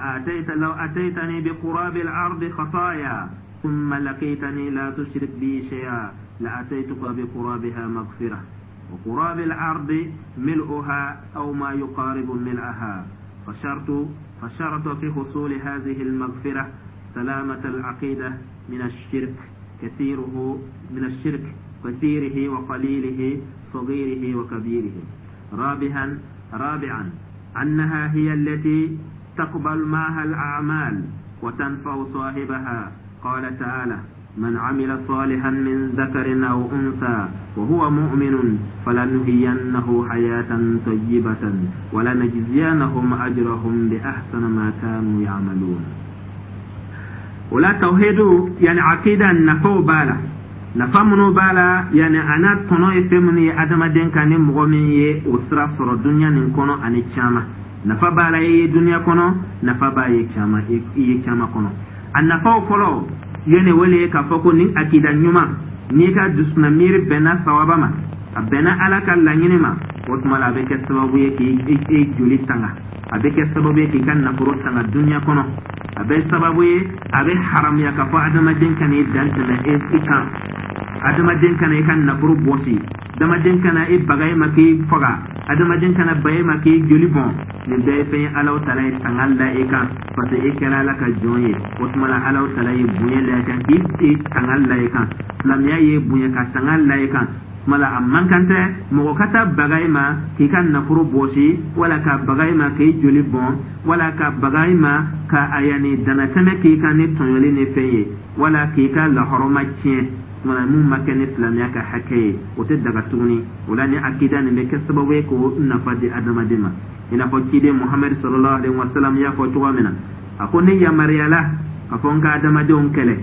أتيتني بقراب الأرض خطايا ثم لقيتني لا تشرك بي شيئا لأتيتك بقرابها مغفرة. وقراب الأرض ملؤها أو ما يقارب ملئها. فشرط في حصول هذه المغفرة سلامة العقيدة من الشرك كثيره وقليله، صغيره وكبيره. رابعا، أنها هي التي تقبل معها الأعمال وتنفع صاحبها. قال تعالى: من عمل صالحا من ذكر أو أنثى وهو مؤمن فلنحيينه حياة طيبة ولنجزينهم أجرهم بأحسن ما كانوا يعملون. O la tawhidu, yani akida nafaw b'a la. Nafa minnu b'a la, yani a n'a tɔnɔ ye fɛn minnu ye adamaden kan, ni mɔgɔ min ye o sira sɔrɔ duniya nin kɔnɔ ani caman, nafa b'a la i ye duniya kɔnɔ, nafa b'a ye caman i ye caman kɔnɔ. A nafaw fɔlɔ yene wele ye k'a fɔ ko ni akida ɲuman, n'i ka dusukunna miiri bɛnna sawaba ma, a bɛnna Ala ka laɲini ma, o tuma la a bɛ kɛ sababu ye k'i joli tanga, a bɛ kɛ sababu ye k'i ka nafolo tanga duniya kɔnɔ, a bɛ sababu ye a bɛ haramuya k'a fɔ adamaden kana i dan tɛmɛ i kan, adamaden kana i ka nafolo bɔsi, adamaden kana i baga i ma k'i faga, adamaden kana ba i ma k'i joli bɔn. Nin bɛɛ ye fɛn ye Alahu Taala ye tanga la i kan, parce que e kɛra Ala ka jɔn ye. O tuma la, Alahu Taala ye bonya la i kan k'i tanga la i kan. Silamɛya ye bonya ka tanga la i kan. Tuma la, a man kan tɛ mɔgɔ ka taa baga i ma k'i ka nafolo bɔsi, wala ka baga i ma k'i joli bɔn, wala ka baga i ma ka a yanni danatɛmɛ k'i kan ni tɔɲɔli ni fɛn ye, wala k'i ka lahɔrɔma tiɲɛ. Tuma mun ma kɛ ni silamɛya ka hakɛ ye, o tɛ daga tuguni. O la, ni akida nin bɛ kɛ sababu ye k'o nafa di adamaden ma, i n'a fɔ ciden Muhamadu sallallahu alaihi wa sallam y'a fɔ cogo min na. A ko ne yamaruyala ka fɔ n ka adamadenw kɛlɛ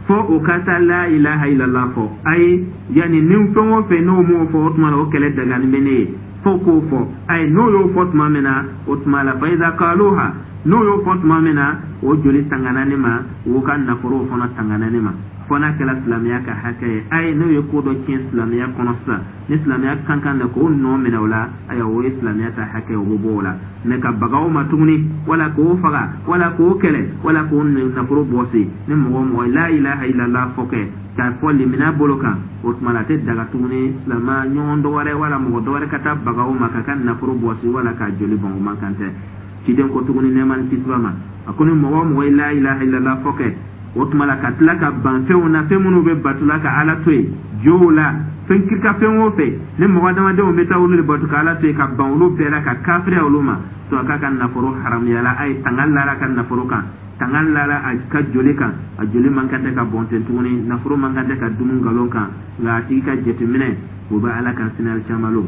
fo o ka taa la ilaha illallah fɔ. Ayi, yanni ni fɛn o fɛn n'o m'o fɔ, o tuma la o kɛlɛ dagani bɛ ne ye fo k'o fɔ. Ayi, n'o y'o fɔ tuma min na, o tuma la, fa iza qaluha, n'o y'o fɔ tuma min na, o joli tangana ne ma, o ka nafolow fana tangana ne ma, fo n'a kɛra silamɛya ka hakɛ ye. Ayi, n'o ye ko dɔ tiɲɛ silamɛya kɔnɔ sisan, ni silamɛya kan kan na k'o nɔ minɛ o la, ayiwa, o ye silamɛya ta hakɛ, o bɛ bɔ o la. Mɛ ka baga o ma tuguni, wala k'o faga, wala k'o kɛlɛ, wala k'o nafolo bɔsi, ni mɔgɔ o mɔgɔ la ilaha illallah fɔ kɛ k'a fɔ limina bolo kan, o tuma la a tɛ daga tuguni silamɛ ɲɔgɔn dɔ wɛrɛ wala mɔgɔ dɔ wɛrɛ ka taa baga o ma k'a ka nafolo bɔsi wala k'a joli bɔn. O man kan tɛ. Ciden ko tuguni, nɛɛma ni kisi b'a ma, a ko ni mɔgɔ o mɔgɔ ye la ilaha illallah fɔ kɛ, o tuma la ka tila ka ban fɛnw na, fɛn minnu bɛ batula ka Ala to yen, jow la, fɛn kirika, fɛn o fɛn ni mɔgɔ adamadenw bɛ taa olu de bato ka Ala to yen, ka ban olu bɛɛ la, ka kafiriya olu ma to, a k'a ka nafolo haramuyala a ye, tanga lara a ka nafolo kan, tanga lara a ka joli kan, a joli man kan tɛ ka bɔn ten tuguni, nafolo man kan tɛ ka dumu nkalon kan. Nka a tigi ka jateminɛ, o bɛ Ala kan sini alikiyama lon,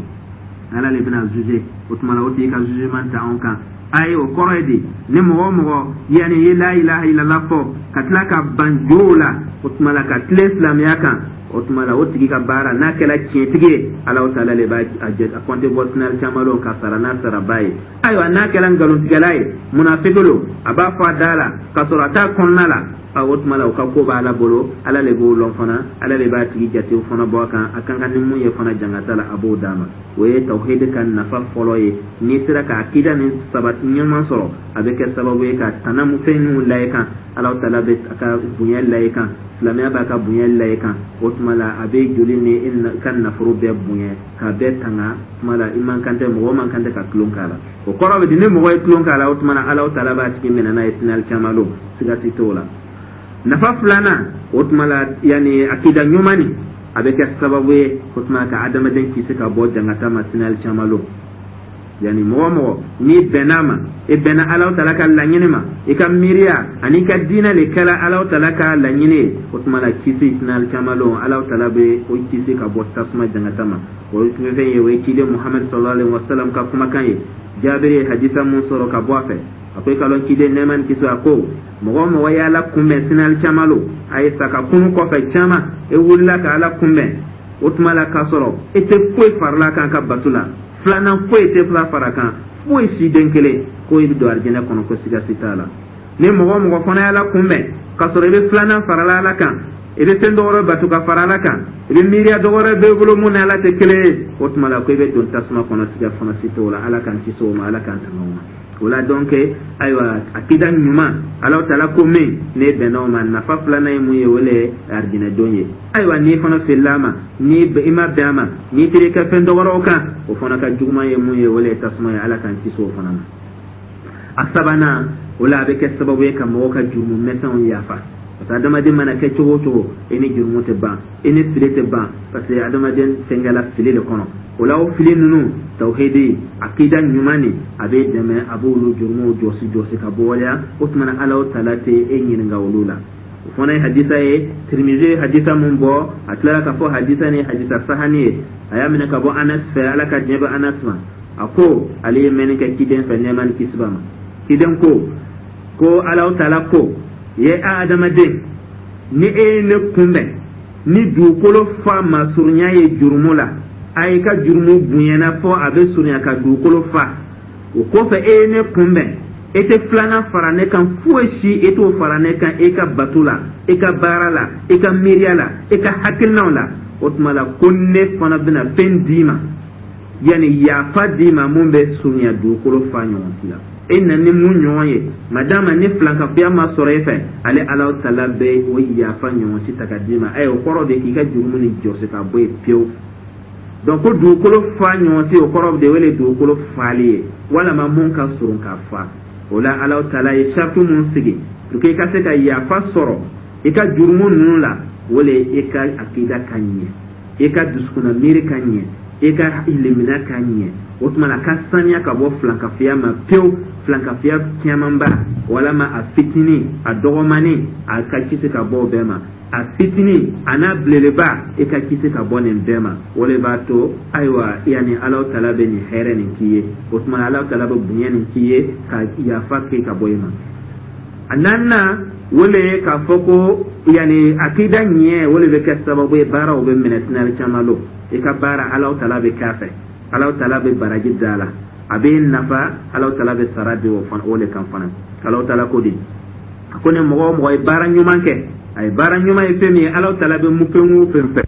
Ala le bɛna juger. O tuma la, o tigi ka jugement ta anw kan. Ayi, o kɔrɔ ye di? Ni mɔgɔ o mɔgɔ yanni ye la ilaha illallah fɔ ka tila ka ban jow la, o tuma la ka tilen silamɛya kan, o tuma la o tigi ka baara n'a kɛra tiɲɛtigi ye, Alahu taala le b'a a kɔnte bɔ sini alikiyama lon ka sara n'a saraba ye. Ayiwa, n'a kɛra nkalontigɛla ye, munafiki lo, a b'a fɔ a da la k'a sɔrɔ a t'a kɔnɔna la, a o tuma la o ka ko b'Ala bolo. Ala le b'o lɔn fana, Ala le b'a tigi jate fana bɔ a kan, a kan ka ni mun ye fana jangata la, a b'o d'a ma. O ye tawhidi ka nafa fɔlɔ ye. N'i sera ka akida ni sabati ɲuman sɔrɔ, a bɛ kɛ sababu ye ka tana mu fɛn minnu la i kan, Alahu taala bɛ a ka bonya la i kan, silamɛya b'a ka bonya la i kan. O tuma la, a bɛ joli ni i ka nafolo bɛɛ bonya k'a bɛɛ tanga. Tuma la, i man kan tɛ, mɔgɔ man kan tɛ ka tulon k'a la. O kɔrɔ bɛ di? Ni mɔgɔ ye tulon k'a la, o tuma na Alahu taala b'a tigi minɛ n'a ye sini alikiyama lon, siga si t'o la. Nafa filanan, o tuma la, yanni akida ɲuman nin, a bɛ kɛ sababu ye, o tuma, ka adamaden kisi ka bɔ jangata ma sini alikiyama lon. Yanni mɔgɔ o mɔgɔ n'i bɛnna a ma, i bɛnna Alahu taala ka laɲini ma, i ka miiriya ani i ka diinɛ le kɛra Alahu taala ka laɲini ye, o tuma la kisi sini alikiyama lon, Alahu taala bɛ o kisi ka bɔ tasuma jangata ma. O ye fɛn ye, o ye ciden Muhamadu sallallahu alaihi wa sallam ka kumakan ye. Jabiri ye hadisa mun sɔrɔ ka bɔ a fɛ, a ko i ka lɔn ciden, nɛɛma ni kisi, a ko mɔgɔ o mɔgɔ ye Ala kunbɛn sini alikiyama lon, a ye sa ka kunu kɔfɛ caman, e wulila ka Ala kunbɛn, o tuma la k'a sɔrɔ e tɛ foyi farala kan ka bato la, filanan foyi tɛ fila fara kan, foyi si den kelen, ko i bɛ don arijinɛ kɔnɔ, ko siga si t'a la. Ni mɔgɔ o mɔgɔ fana ye Ala kunbɛn k'a sɔrɔ i bɛ filanan farala Ala kan, i bɛ fɛn dɔ wɛrɛ bato ka fara Ala kan, i bɛ miiriya dɔ wɛrɛ b'e bolo mun ni Ala tɛ kelen ye, o tuma la ko i bɛ don tasuma kɔnɔ, siga fana si t'o la. Ala k'an kisi o ma, Ala k'an tanga o ma. O la donc, ayiwa, akida ɲuman, Alahu taala ko min ne bɛnna o ma, nafa filanan ye mun ye? O le ye arijinɛ don ye. Ayiwa, n'i fana filila a ma, ni i ma bɛn a ma, n'i taara i ka fɛn dɔ wɛrɛw kan, o fana ka juguman ye mun ye? O le ye tasuma ye. Ala k'an kisi o fana ma. A sabanan, o la a bɛ kɛ sababu ye ka mɔgɔw ka jurumu misɛnw yafa, parce que adamaden mana kɛ cogo o cogo, i ni jurumu tɛ ban, i ni fili tɛ ban, parce que adamaden fɛnkɛla fili de kɔnɔ. O la, o fili ninnu, tawhidi akida ɲuman nin, a bɛ dɛmɛ, a b'olu jurumuw jɔsi jɔsi ka bɔ waleya. O tuma na, Ala taala tɛ e ɲininka olu la. O fana ye hadisa ye, Tirimizi ye hadisa mun bɔ, a tilara k'a fɔ hadisa ni hadisa sahani ye. A y'a minɛ ka bɔ Anas fɛ, Ala ka diɲɛ bɛ Anas ma, a ko ale ye mɛnni kɛ ciden fɛ, nɛɛma ni kisi b'a ma, ciden ko ko Ala taala ko ye: a adamaden, ni e ye ne kunbɛn ni dugukolo fa masurunya ye jurumu la, a y'i ka jurumu bonyana fɔ a bɛ surunya ka dugukolo fa, o kɔfɛ e ye ne kunbɛn, e tɛ filanan fara ne kan foyi si, e t'o fara ne kan e ka bato la, e ka baara la, e ka miiriya la, e ka hakilinaw la, o tuma la ko ne fana bɛna fɛn d'i ma, yanni yafa d'i ma mun bɛ surunya dugukolo fa ɲɔgɔn si la. E na ni mun ɲɔgɔn ye, madama ni filankafoya ma sɔrɔ e fɛ, ale Ala taala bɛ o yafa ɲɔgɔn si ta ka d'i ma. O kɔrɔ de k'i ka jurumu ni jɔsi ka bɔ yen pewu. Donc ko dugukolo fa ɲɔgɔn si, o kɔrɔ de wele dugukolo fali ye, walama mun ka surun ka fa. O la, Ala taala ye sariti mun sigi pour que i ka se ka yafa sɔrɔ i ka jurumu ninnu la, o le i ka akida ka ɲɛ, i ka dusukunna miiri ka ɲɛ, i ka limina ka ɲɛ. O tuma na ka saniya ka bɔ filankafoya ma pewu, filankafoya camanba walama a fitinin, a dɔgɔmani, a ka kisi ka bɔ o bɛɛ ma, a fitinin a n'a belebeleba, i ka kisi ka bɔ nin bɛɛ ma. O de b'a to, ayiwa, yanni Alahu taala bɛ nin hɛrɛ nin k'i ye, o tuma Alahu taala bɛ bonya nin k'i ye ka yafa kɛ ka bɔ i ma. A naaninan, o le ye k'a fɔ ko yanni akida ɲɛ, o de bɛ kɛ sababu ye baaraw bɛ minɛ sini alikiyama lon. I ka baara, Alahu taala bɛ k'a fɛ, Alahu taala bɛ baraji da la, a bɛ nafa, Alahu taala bɛ sara di o fana, o le kan fana. Alahu taala ko di? A ko ni mɔgɔ o mɔgɔ ye baara ɲuman kɛ, a ye baara ɲuman ye fɛn min ye, Alahu taala bɛ mun fɛn o fɛn fɛ.